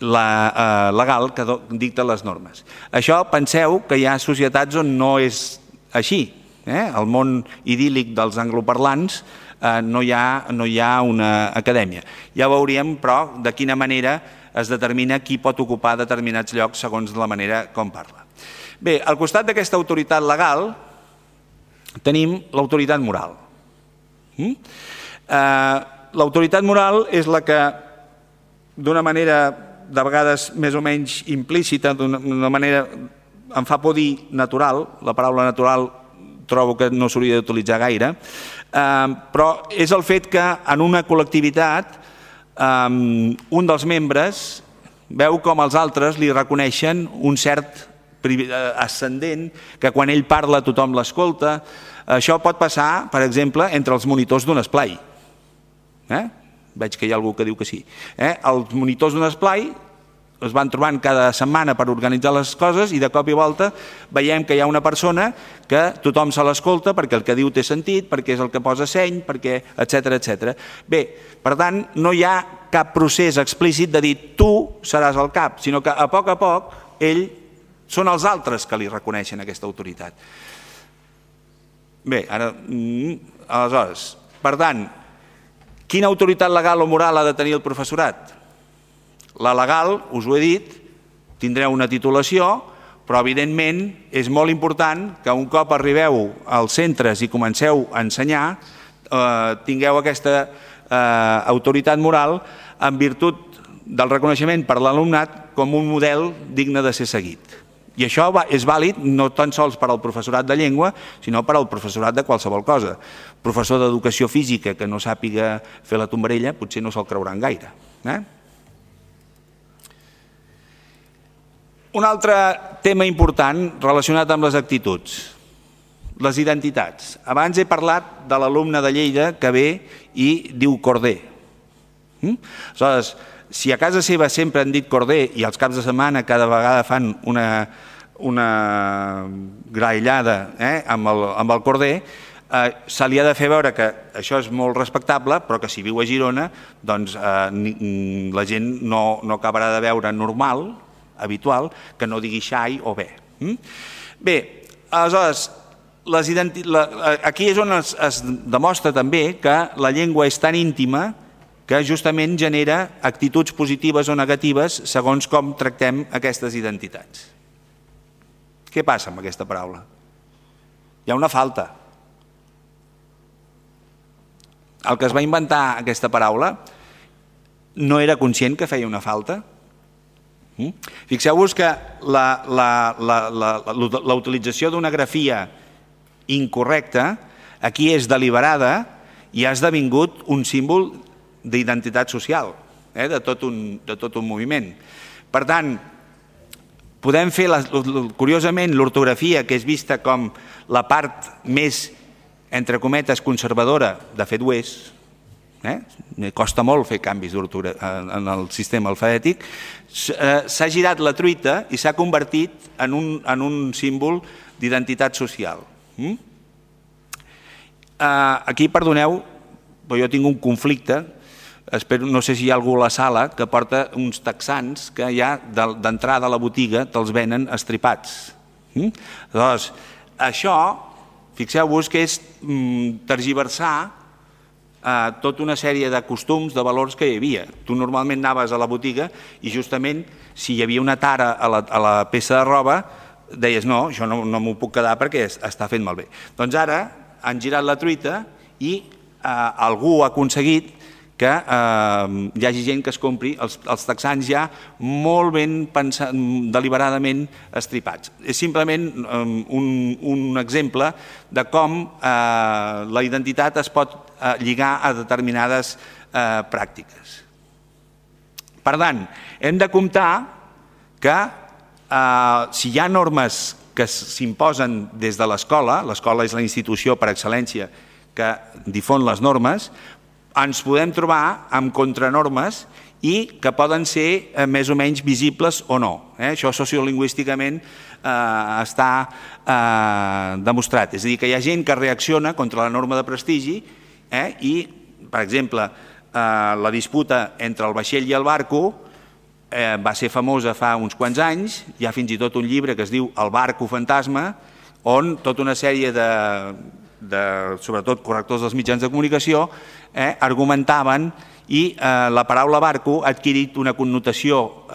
legal que dicta les normes. Això penseu que hi ha societats on no és així. Al món idíl·lic dels angloparlants no hi ha una acadèmia. Ja veuríem, però, de quina manera es determina qui pot ocupar determinats llocs segons la manera com parla. Bé, al costat d'aquesta autoritat legal tenim l'autoritat moral. L'autoritat moral és la que, d'una manera de vegades més o menys implícita, d'una manera, em fa por dir natural, la paraula natural trobo que no s'hauria d'utilitzar gaire, però és el fet que en una col·lectivitat un dels membres veu com els altres li reconeixen un cert ascendent, que quan ell parla tothom l'escolta. Això pot passar, per exemple, entre els monitors d'un esplai. Veig que hi ha algú que diu que sí. Els monitors d'un esplai es van trobant cada setmana per organitzar les coses i de cop i volta veiem que hi ha una persona que tothom se l'escolta perquè el que diu té sentit, perquè és el que posa seny, perquè etc. Bé, per tant, no hi ha cap procés explícit de dir tu seràs el cap, sinó que a poc ell són els altres que li reconeixen aquesta autoritat. Bé, aleshores, per tant, quina autoritat legal o moral ha de tenir el professorat? La legal, us ho he dit, tindreu una titulació, però evidentment és molt important que un cop arribeu als centres i comenceu a ensenyar, tingueu aquesta autoritat moral en virtut del reconeixement per l'alumnat com un model digne de ser seguit. I això és vàlid no tan sols per al professorat de llengua, sinó per al professorat de qualsevol cosa. Professor d'educació física que no sàpiga fer la tombarella potser no se'l creuran gaire. Un altre tema important relacionat amb les actituds, les identitats. Abans he parlat de l'alumne de Lleida que ve i diu corder. Aleshores, si a casa seva sempre han dit corder i als caps de setmana cada vegada fan una graellada amb el corder, se li ha de fer veure que això és molt respectable, però que si viu a Girona doncs la gent no acabarà de veure normal, habitual, que no digui xai o bé. Bé, aleshores, aquí és on es demostra també que la llengua és tan íntima que justament genera actituds positives o negatives segons com tractem aquestes identitats. Què passa amb aquesta paraula? Hi ha una falta. El que es va inventar aquesta paraula no era conscient que feia una falta. Fixeu-vos que la utilització d'una grafia incorrecta aquí és deliberada i ha esdevingut un símbol d'identitat social, de tot un moviment. Per tant, podem fer, curiosament, l'ortografia, que és vista com la part més, entre cometes, conservadora, de fet ho és, costa molt fer canvis en el sistema alfabètic, s'ha girat la truita i s'ha convertit en un símbol d'identitat social. Aquí, perdoneu, però jo tinc un conflicte, no sé si hi ha algú a la sala que porta uns texans que ja d'entrada a la botiga te'ls venen estripats. Llavors, això, fixeu-vos que és tergiversar tota una sèrie de costums, de valors que hi havia. Tu normalment anaves a la botiga i justament si hi havia una tara a la peça de roba deies no, això no m'ho puc quedar perquè està fent malbé. Doncs ara han girat la truita i algú ha aconseguit que hi hagi gent que es compri els texans ja molt ben deliberadament estripats. És simplement un exemple de com la identitat es pot lligar a determinades pràctiques. Per tant, hem de comptar que si hi ha normes que s'imposen des de l'escola és la institució per excel·lència que difon les normes, ens podem trobar amb contranormes i que poden ser més o menys visibles o no. Això sociolingüísticament està demostrat. És a dir, que hi ha gent que reacciona contra la norma de prestigi i, per exemple, la disputa entre el vaixell i el barco va ser famosa fa uns quants anys. Hi ha fins i tot un llibre que es diu El barco fantasma, on tota una sèrie sobretot correctors dels mitjans de comunicació argumentaven i la paraula barco ha adquirit una connotació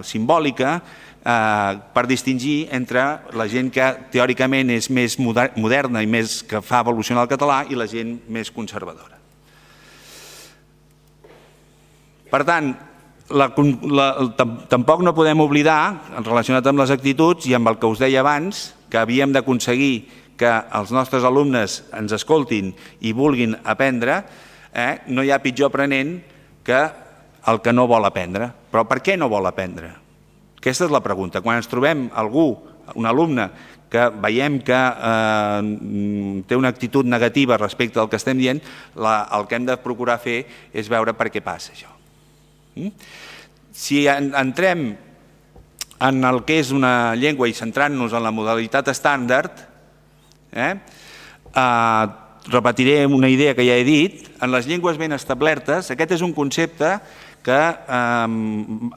simbòlica per distingir entre la gent que teòricament és més moderna i més que fa evolucionar el català i la gent més conservadora. Per tant, tampoc no podem oblidar, relacionat amb les actituds i amb el que us deia abans, que havíem d'aconseguir que els nostres alumnes ens escoltin i vulguin aprendre. No hi ha pitjor aprenent que el que no vol aprendre. Però per què no vol aprendre? Aquesta és la pregunta. Quan ens trobem algú, un alumne, que veiem que té una actitud negativa respecte al que estem dient, el que hem de procurar fer és veure per què passa això. Si entrem en el que és una llengua i centrant-nos en la modalitat estàndard, repetiré una idea que ja he dit. En les llengües ben establertes, aquest és un concepte que ha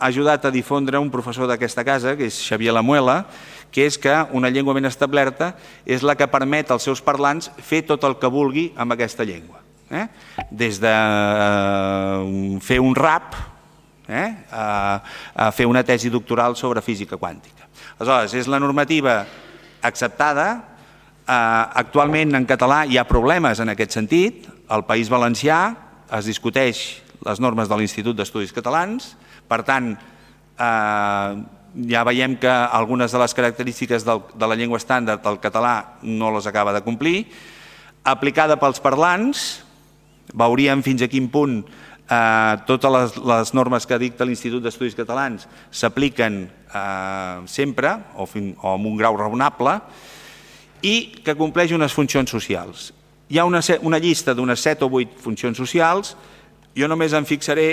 ajudat a difondre un professor d'aquesta casa, que és Xavier Lamuela, que és que una llengua ben establerta és la que permet als seus parlants fer tot el que vulgui amb aquesta llengua. Des de fer un rap a fer una tesi doctoral sobre física quàntica. Aleshores, és la normativa acceptada. Actualment en català hi ha problemes en aquest sentit. Al País Valencià es discuteix les normes de l'Institut d'Estudis Catalans. Per tant, ja veiem que algunes de les característiques de la llengua estàndard del català no les acaba de complir. Aplicada pels parlants, veuríem fins a quin punt totes les normes que dicta l'Institut d'Estudis Catalans s'apliquen sempre o amb un grau raonable, i que compleix unes funcions socials. Hi ha una llista d'unes 7 o 8 funcions socials. Jo només em fixaré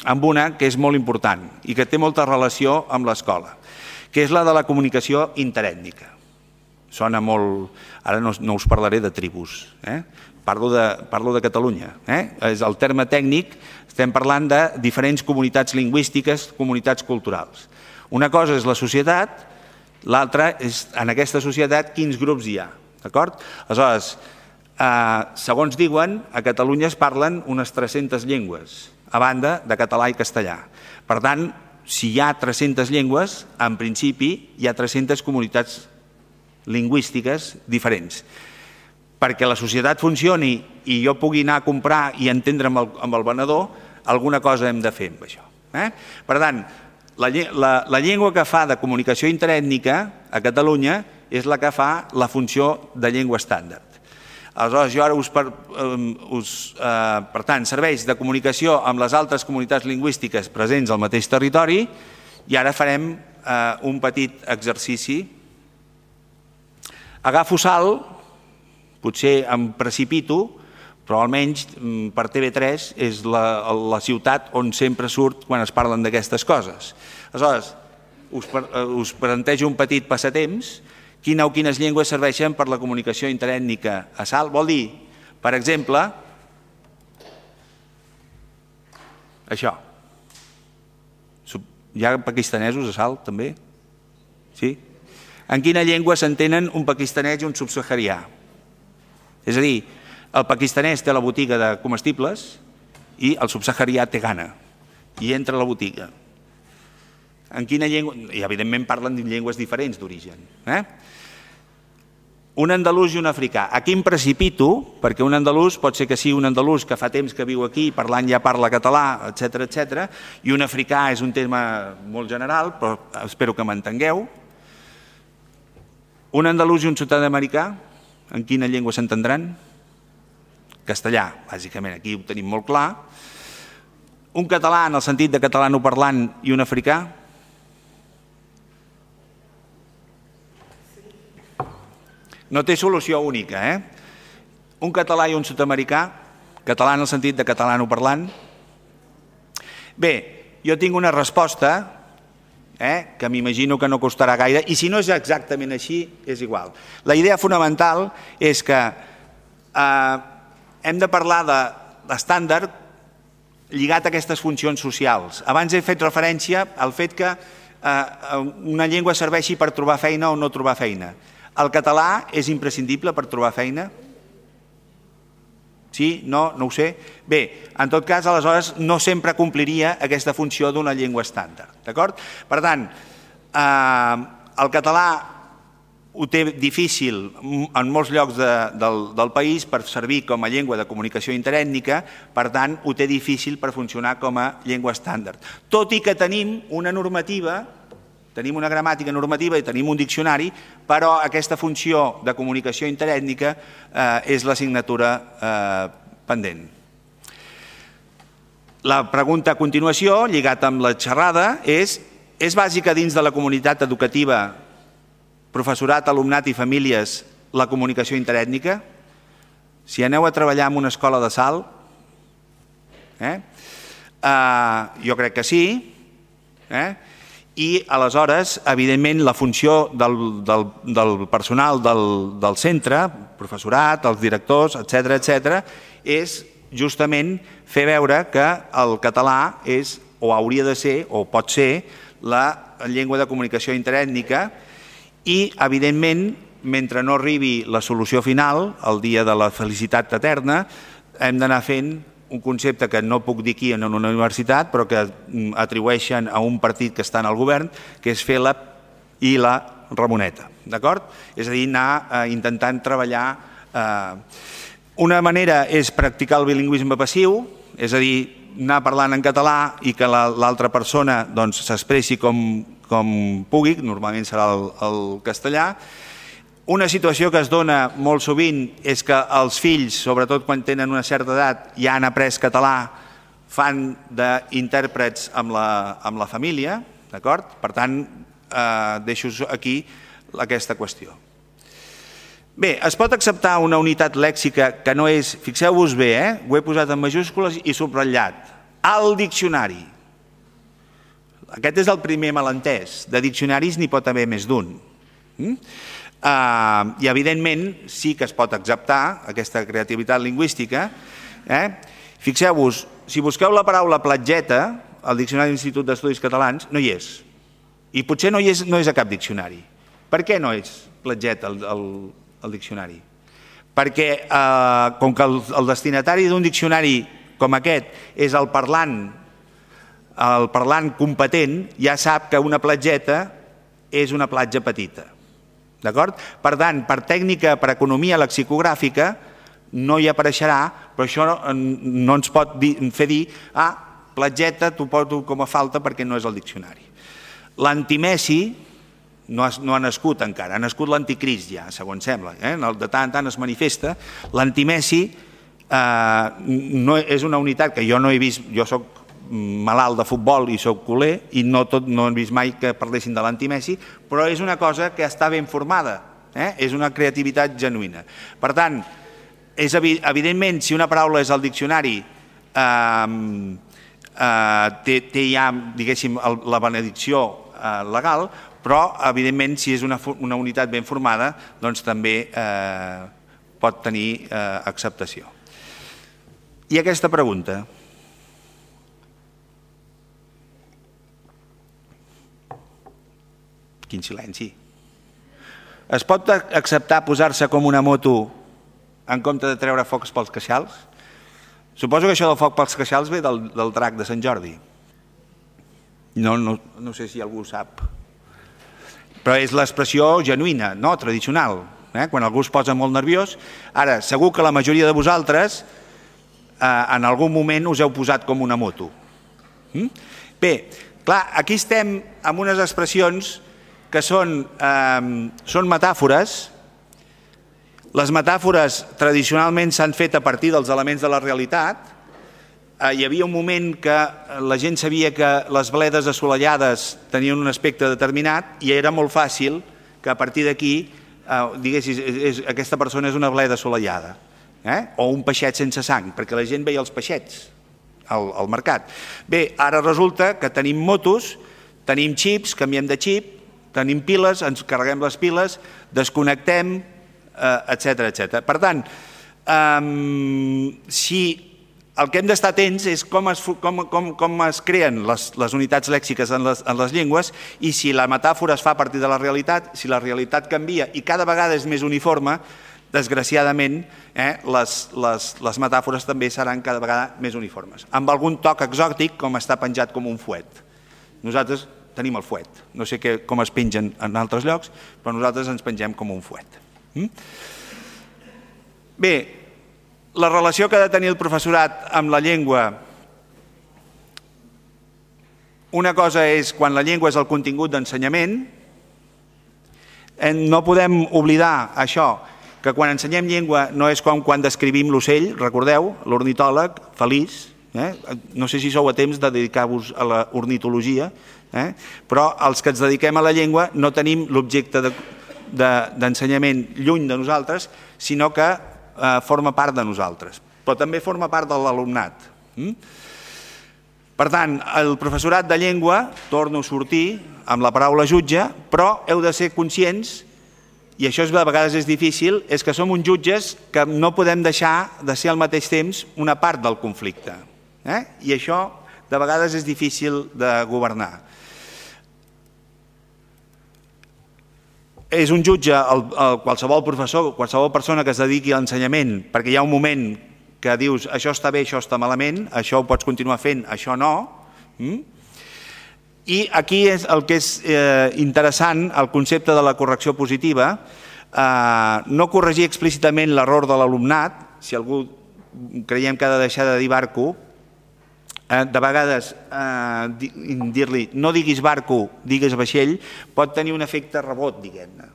en una que és molt important i que té molta relació amb l'escola, que és la de la comunicació interètnica. Sona molt... Ara no us parlaré de tribus, parlo de Catalunya. És el terme tècnic, estem parlant de diferents comunitats lingüístiques, comunitats culturals. Una cosa és la societat, l'altra és, en aquesta societat, quins grups hi ha. Aleshores, segons diuen, a Catalunya es parlen unes 300 llengües, a banda de català i castellà. Per tant, si hi ha 300 llengües, en principi hi ha 300 comunitats lingüístiques diferents. Perquè la societat funcioni i jo pugui anar a comprar i entendre amb el venedor, alguna cosa hem de fer amb això. Per tant, la llengua que fa de comunicació interètnica a Catalunya és la que fa la funció de llengua estàndard. Aleshores, jo ara per tant, serveix de comunicació amb les altres comunitats lingüístiques presents al mateix territori, i ara farem un petit exercici. Agafo sal, potser em precipito, però almenys per TV3 és la ciutat on sempre surt quan es parlen d'aquestes coses. Aleshores, us plantejo un petit passatemps. Quines llengües serveixen per la comunicació interètnica a Salt? Vol dir, per exemple, això. Hi ha pakistanesos a Salt, també? Sí? En quina llengua s'entenen un pakistanès i un subsaharià? És a dir, el pakistanès té la botiga de comestibles i el subsaharià té gana i entra a la botiga. En quina llengua? I evidentment parlen de llengües diferents d'origen. un andalús i un africà. Aquí em precipito, perquè un andalús pot ser que sigui un andalús que fa temps que viu aquí, parlant ja parla català, etc, i un africà és un tema molt general, però espero que m'entengueu. Un andalús i un sud-americà, en quina llengua s'entendran? Castellà, bàsicament, aquí ho tenim molt clar. Un català, en el sentit de catalanoparlant, i un africà? No té solució única, Un català i un sud-americà, català en el sentit de catalanoparlant. Bé, jo tinc una resposta, que m'imagino que no costarà gaire, i si no és exactament així, és igual. La idea fonamental és que hem de parlar d'estàndard lligat a aquestes funcions socials. Abans he fet referència al fet que una llengua serveixi per trobar feina o no trobar feina. El català és imprescindible per trobar feina? Sí? No? No ho sé? Bé, en tot cas, aleshores, no sempre compliria aquesta funció d'una llengua estàndard. D'acord? Per tant, el català ho té difícil en molts llocs del país per servir com a llengua de comunicació interètnica, per tant, ho té difícil per funcionar com a llengua estàndard. Tot i que tenim una normativa, tenim una gramàtica normativa i tenim un diccionari, però aquesta funció de comunicació interètnica és l'assignatura pendent. La pregunta a continuació, lligat amb la xerrada, és bàsica dins de la comunitat educativa, professorat, alumnat i famílies, la comunicació interètnica? Si aneu a treballar en una escola de Salt, jo crec que sí, i aleshores, evidentment, la funció del personal del centre, professorat, els directors, etc., és justament fer veure que el català és, o hauria de ser, o pot ser, la llengua de comunicació interètnica i, evidentment, mentre no arribi la solució final, el dia de la felicitat eterna, hem d'anar fent un concepte que no puc dir aquí en una universitat, però que atribueixen a un partit que està en el govern, que és fer la i la Ramoneta. D'acord? És a dir, anar intentant treballar. Una manera és practicar el bilingüisme passiu, és a dir, anar parlant en català i que l'altra persona s'expressi com pugui, normalment serà el castellà. Una situació que es dona molt sovint és que els fills, sobretot quan tenen una certa edat, ja han après català, fan d'intèrprets amb la família, d'acord? Per tant, deixo aquí aquesta qüestió. Bé, es pot acceptar una unitat lèxica que no és, fixeu-vos bé, ho he posat en majúscules i subratllat, al diccionari. Aquest és el primer malentès, de diccionaris n'hi pot haver més d'un. I evidentment sí que es pot acceptar aquesta creativitat lingüística. Fixeu-vos, si busqueu la paraula platgeta al Diccionari de l'Institut d'Estudis Catalans, no hi és. I potser no és a cap diccionari. Per què no és platgeta al diccionari? Perquè com que el destinatari d'un diccionari com aquest és el parlant competent, ja sap que una platgeta és una platja petita. D'acord? Per tant, per tècnica, per economia lexicogràfica, no hi apareixerà, però això no ens pot fer dir platgeta t'ho porto com a falta perquè no és el diccionari. L'antimessi no ha nascut encara, ha nascut l'anticrist ja, segons sembla, de tant en tant es manifesta. L'antimessi és una unitat que jo no he vist, jo soc malalt de futbol i soc culer i no he vist mai que parlessin de l'antimessi, però és una cosa que està ben formada, és una creativitat genuïna. Per tant, evidentment, si una paraula és al diccionari, té ja, diguéssim, la benedicció legal, però, evidentment, si és una unitat ben formada, doncs també pot tenir acceptació. I aquesta pregunta? Quin silenci. Es pot acceptar posar-se com una moto en compte de treure focs pels queixals? Suposo que això del foc pels queixals ve del drac de Sant Jordi. No sé si algú ho sap. Però és l'expressió genuïna, no? Tradicional. quan algú es posa molt nerviós. Ara, segur que la majoria de vosaltres en algun moment us heu posat com una moto. Bé, clar, aquí estem amb unes expressions que són metàfores. Les metàfores tradicionalment s'han fet a partir dels elements de la realitat. Hi havia un moment que la gent sabia que les bledes assolellades tenien un aspecte determinat i era molt fàcil que a partir d'aquí diguessis aquesta persona és una bleda assolellada o un peixet sense sang, perquè la gent veia els peixets al mercat. Bé, ara resulta que tenim motos, tenim xips, canviem de xip, tenim piles, ens carreguem les piles, desconnectem, etc. Per tant, si el que hem d'estar atents és com es creen les unitats lèxiques en les llengües i si la metàfora es fa a partir de la realitat, si la realitat canvia i cada vegada és més uniforme, desgraciadament les metàfores també seran cada vegada més uniformes, amb algun toc exòtic com està penjat com un fuet. Nosaltres tenim el fuet, no sé com es pengen en altres llocs, però nosaltres ens pengem com un fuet. Bé, la relació que ha de tenir el professorat amb la llengua, una cosa és quan la llengua és el contingut d'ensenyament, no podem oblidar això, que quan ensenyem llengua no és com quan descrivim l'ocell, recordeu, l'ornitòleg feliç, no sé si sou a temps de dedicar-vos a l'ornitologia, però els que ens dediquem a la llengua no tenim l'objecte d'ensenyament lluny de nosaltres, sinó que forma part de nosaltres, però també forma part de l'alumnat. Per tant, el professorat de llengua, torno a sortir amb la paraula jutge, però heu de ser conscients, i això a vegades és difícil, és que som uns jutges que no podem deixar de ser al mateix temps una part del conflicte. I això de vegades és difícil de governar. És un jutge, qualsevol professor, qualsevol persona que es dediqui a l'ensenyament, perquè hi ha un moment que dius això està bé, això està malament, això ho pots continuar fent, això no. I aquí és el que és interessant, el concepte de la correcció positiva, no corregir explícitament l'error de l'alumnat, si algú creiem que ha de deixar de dir barco, de vegades dir-li no diguis barco, digues vaixell, pot tenir un efecte rebot, diguem-ne.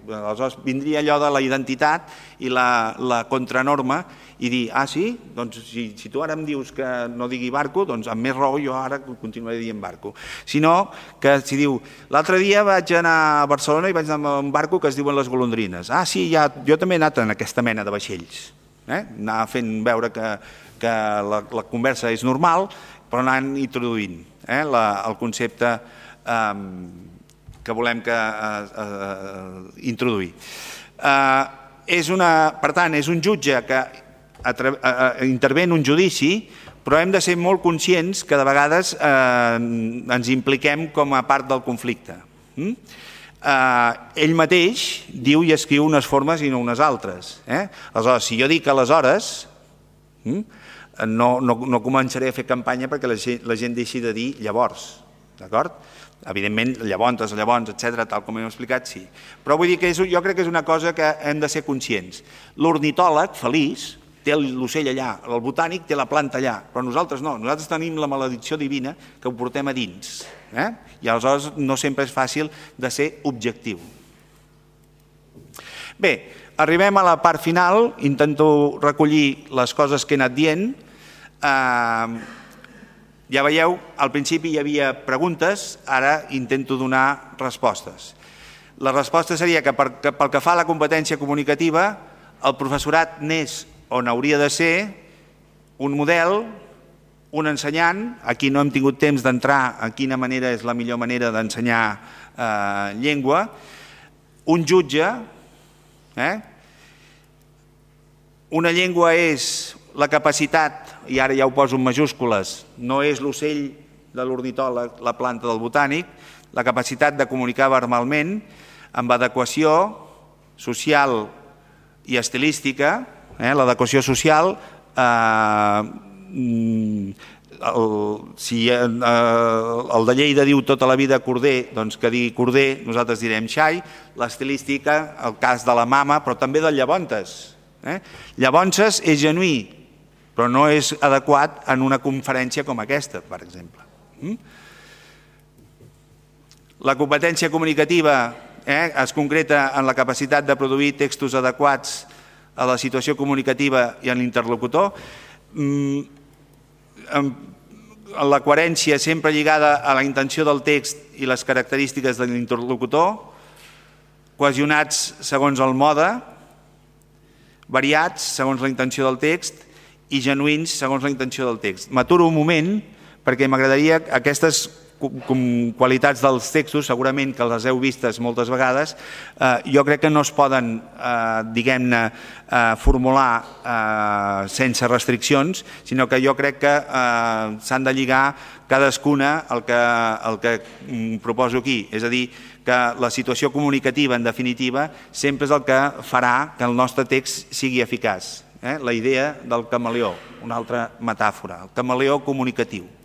Aleshores vindria allò de la identitat i la contranorma i dir, sí? Doncs si tu ara em dius que no digui barco, doncs amb més raó jo ara continuaré dient barco. Sinó que si diu, l'altre dia vaig anar a Barcelona i vaig anar amb un barco que es diuen les golondrines. Sí, jo també he anat en aquesta mena de vaixells. Anar fent veure que la conversa és normal, però anant introduint el concepte que volem introduir. Per tant, és un jutge que intervé en un judici, però hem de ser molt conscients que de vegades ens impliquem com a part del conflicte. Ell mateix diu i escriu unes formes i no unes altres. Aleshores, si jo dic aleshores, no començaré a fer campanya perquè la gent deixi de dir llavors, d'acord? Evidentment, llavors, etc., tal com hem explicat, sí. Però vull dir que jo crec que és una cosa que hem de ser conscients. L'ornitòleg, feliç, té l'ocell allà, el botànic té la planta allà, però nosaltres no, nosaltres tenim la maledicció divina que ho portem a dins. I aleshores no sempre és fàcil de ser objectiu. Bé, arribem a la part final, intento recollir les coses que he anat dient. Ja veieu, al principi hi havia preguntes, ara intento donar respostes. La resposta seria que pel que fa a la competència comunicativa, el professorat n'és on hauria de ser un model, un ensenyant, aquí no hem tingut temps d'entrar en quina manera és la millor manera d'ensenyar llengua, un jutge, una llengua és la capacitat, i ara ja ho poso en majúscules, no és l'ocell de l'ornitòleg, la planta del botànic, la capacitat de comunicar verbalment amb adequació social i estilística. L'adequació social si el de Lleida diu tota la vida Corder, doncs que digui Corder, nosaltres direm xai, l'estilística, el cas de la mama, però també del Llavontes. Llavontes és genuí, però no és adequat en una conferència com aquesta, per exemple. La competència comunicativa es concreta en la capacitat de produir textos adequats a la situació comunicativa i en l'interlocutor, la coherència sempre lligada a la intenció del text i les característiques de l'interlocutor, cohesionats segons el mode, variats segons la intenció del text i genuïns segons la intenció del text. M'aturo un moment perquè m'agradaria aquestes qualitats dels textos, segurament que les heu vistes moltes vegades, jo crec que no es poden, diguem-ne, formular sense restriccions, sinó que jo crec que s'han de lligar cadascuna al que proposo aquí. És a dir, que la situació comunicativa, en definitiva, sempre és el que farà que el nostre text sigui eficaç. La idea del camaleó, una altra metàfora, el camaleó comunicatiu.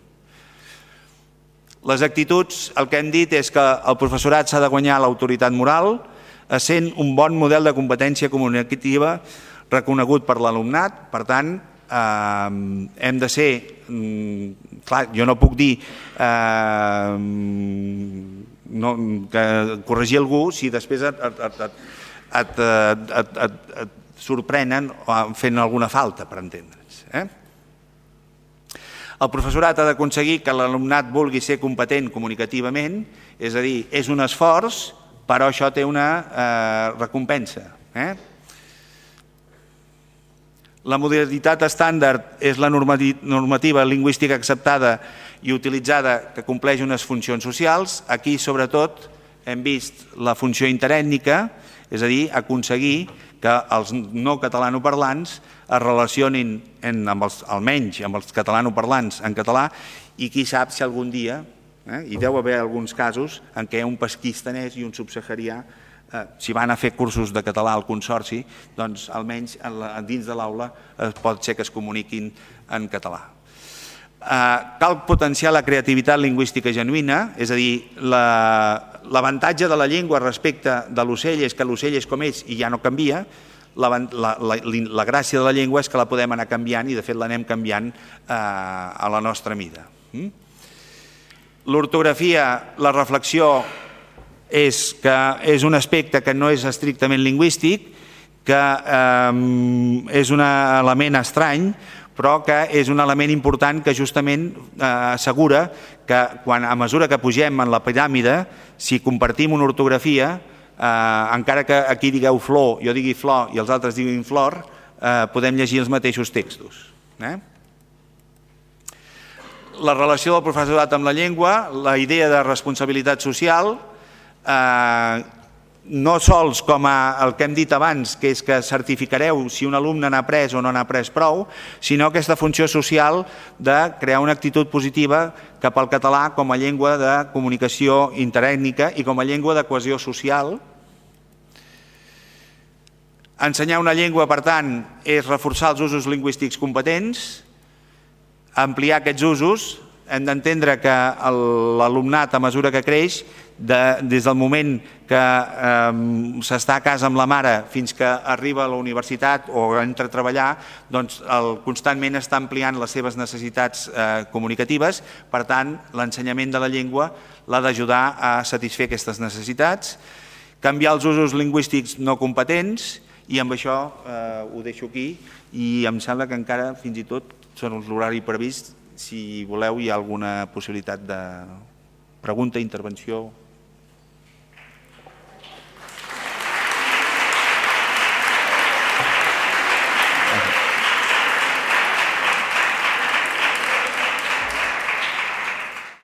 Les actituds, el que hem dit és que el professorat s'ha de guanyar l'autoritat moral, essent un bon model de competència comunicativa reconegut per l'alumnat. Per tant, hem de ser... Clar, jo no puc dir corregir algú si després et sorprenen fent alguna falta, per entendre'ns. El professorat ha d'aconseguir que l'alumnat vulgui ser competent comunicativament, és a dir, és un esforç, però això té una recompensa. La modalitat estàndard és la normativa lingüística acceptada i utilitzada que compleix unes funcions socials. Aquí, sobretot, hem vist la funció interètnica, és a dir, aconseguir que els no catalanoparlants es relacionin almenys amb els catalanoparlants en català i qui sap si algun dia, hi deu haver alguns casos en què un paquistanès i un subsaharià, si van a fer cursos de català al Consorci, doncs almenys dins de l'aula pot ser que es comuniquin en català. Cal potenciar la creativitat lingüística genuïna, és a dir, l'avantatge de la llengua respecte de l'ocell és que l'ocell és com és i ja no canvia. La gràcia de la llengua és que la podem anar canviant i de fet l'anem canviant a la nostra mida. L'ortografia, la reflexió és un aspecte que no és estrictament lingüístic, que és un element estrany, però que és un element important que justament assegura que a mesura que pugem en la piràmide, si compartim una ortografia, encara que aquí digueu flor, jo digui flor i els altres diguin flor, podem llegir els mateixos textos. La relació del professorat amb la llengua, la idea de responsabilitat social, no sols com el que hem dit abans, que és que certificareu si un alumne n'ha après o no n'ha après prou, sinó aquesta funció social de crear una actitud positiva cap al català com a llengua de comunicació interètnica i com a llengua de cohesió social. Ensenyar una llengua, per tant, és reforçar els usos lingüístics competents, ampliar aquests usos. Hem d'entendre que l'alumnat, a mesura que creix, des del moment que s'està a casa amb la mare fins que arriba a la universitat o entra a treballar, doncs constantment està ampliant les seves necessitats comunicatives. Per tant, l'ensenyament de la llengua l'ha d'ajudar a satisfer aquestes necessitats, canviar els usos lingüístics no competents, i amb això ho deixo aquí i em sembla que encara fins i tot són l'horari previst. Si voleu, hi ha alguna possibilitat de pregunta, intervenció.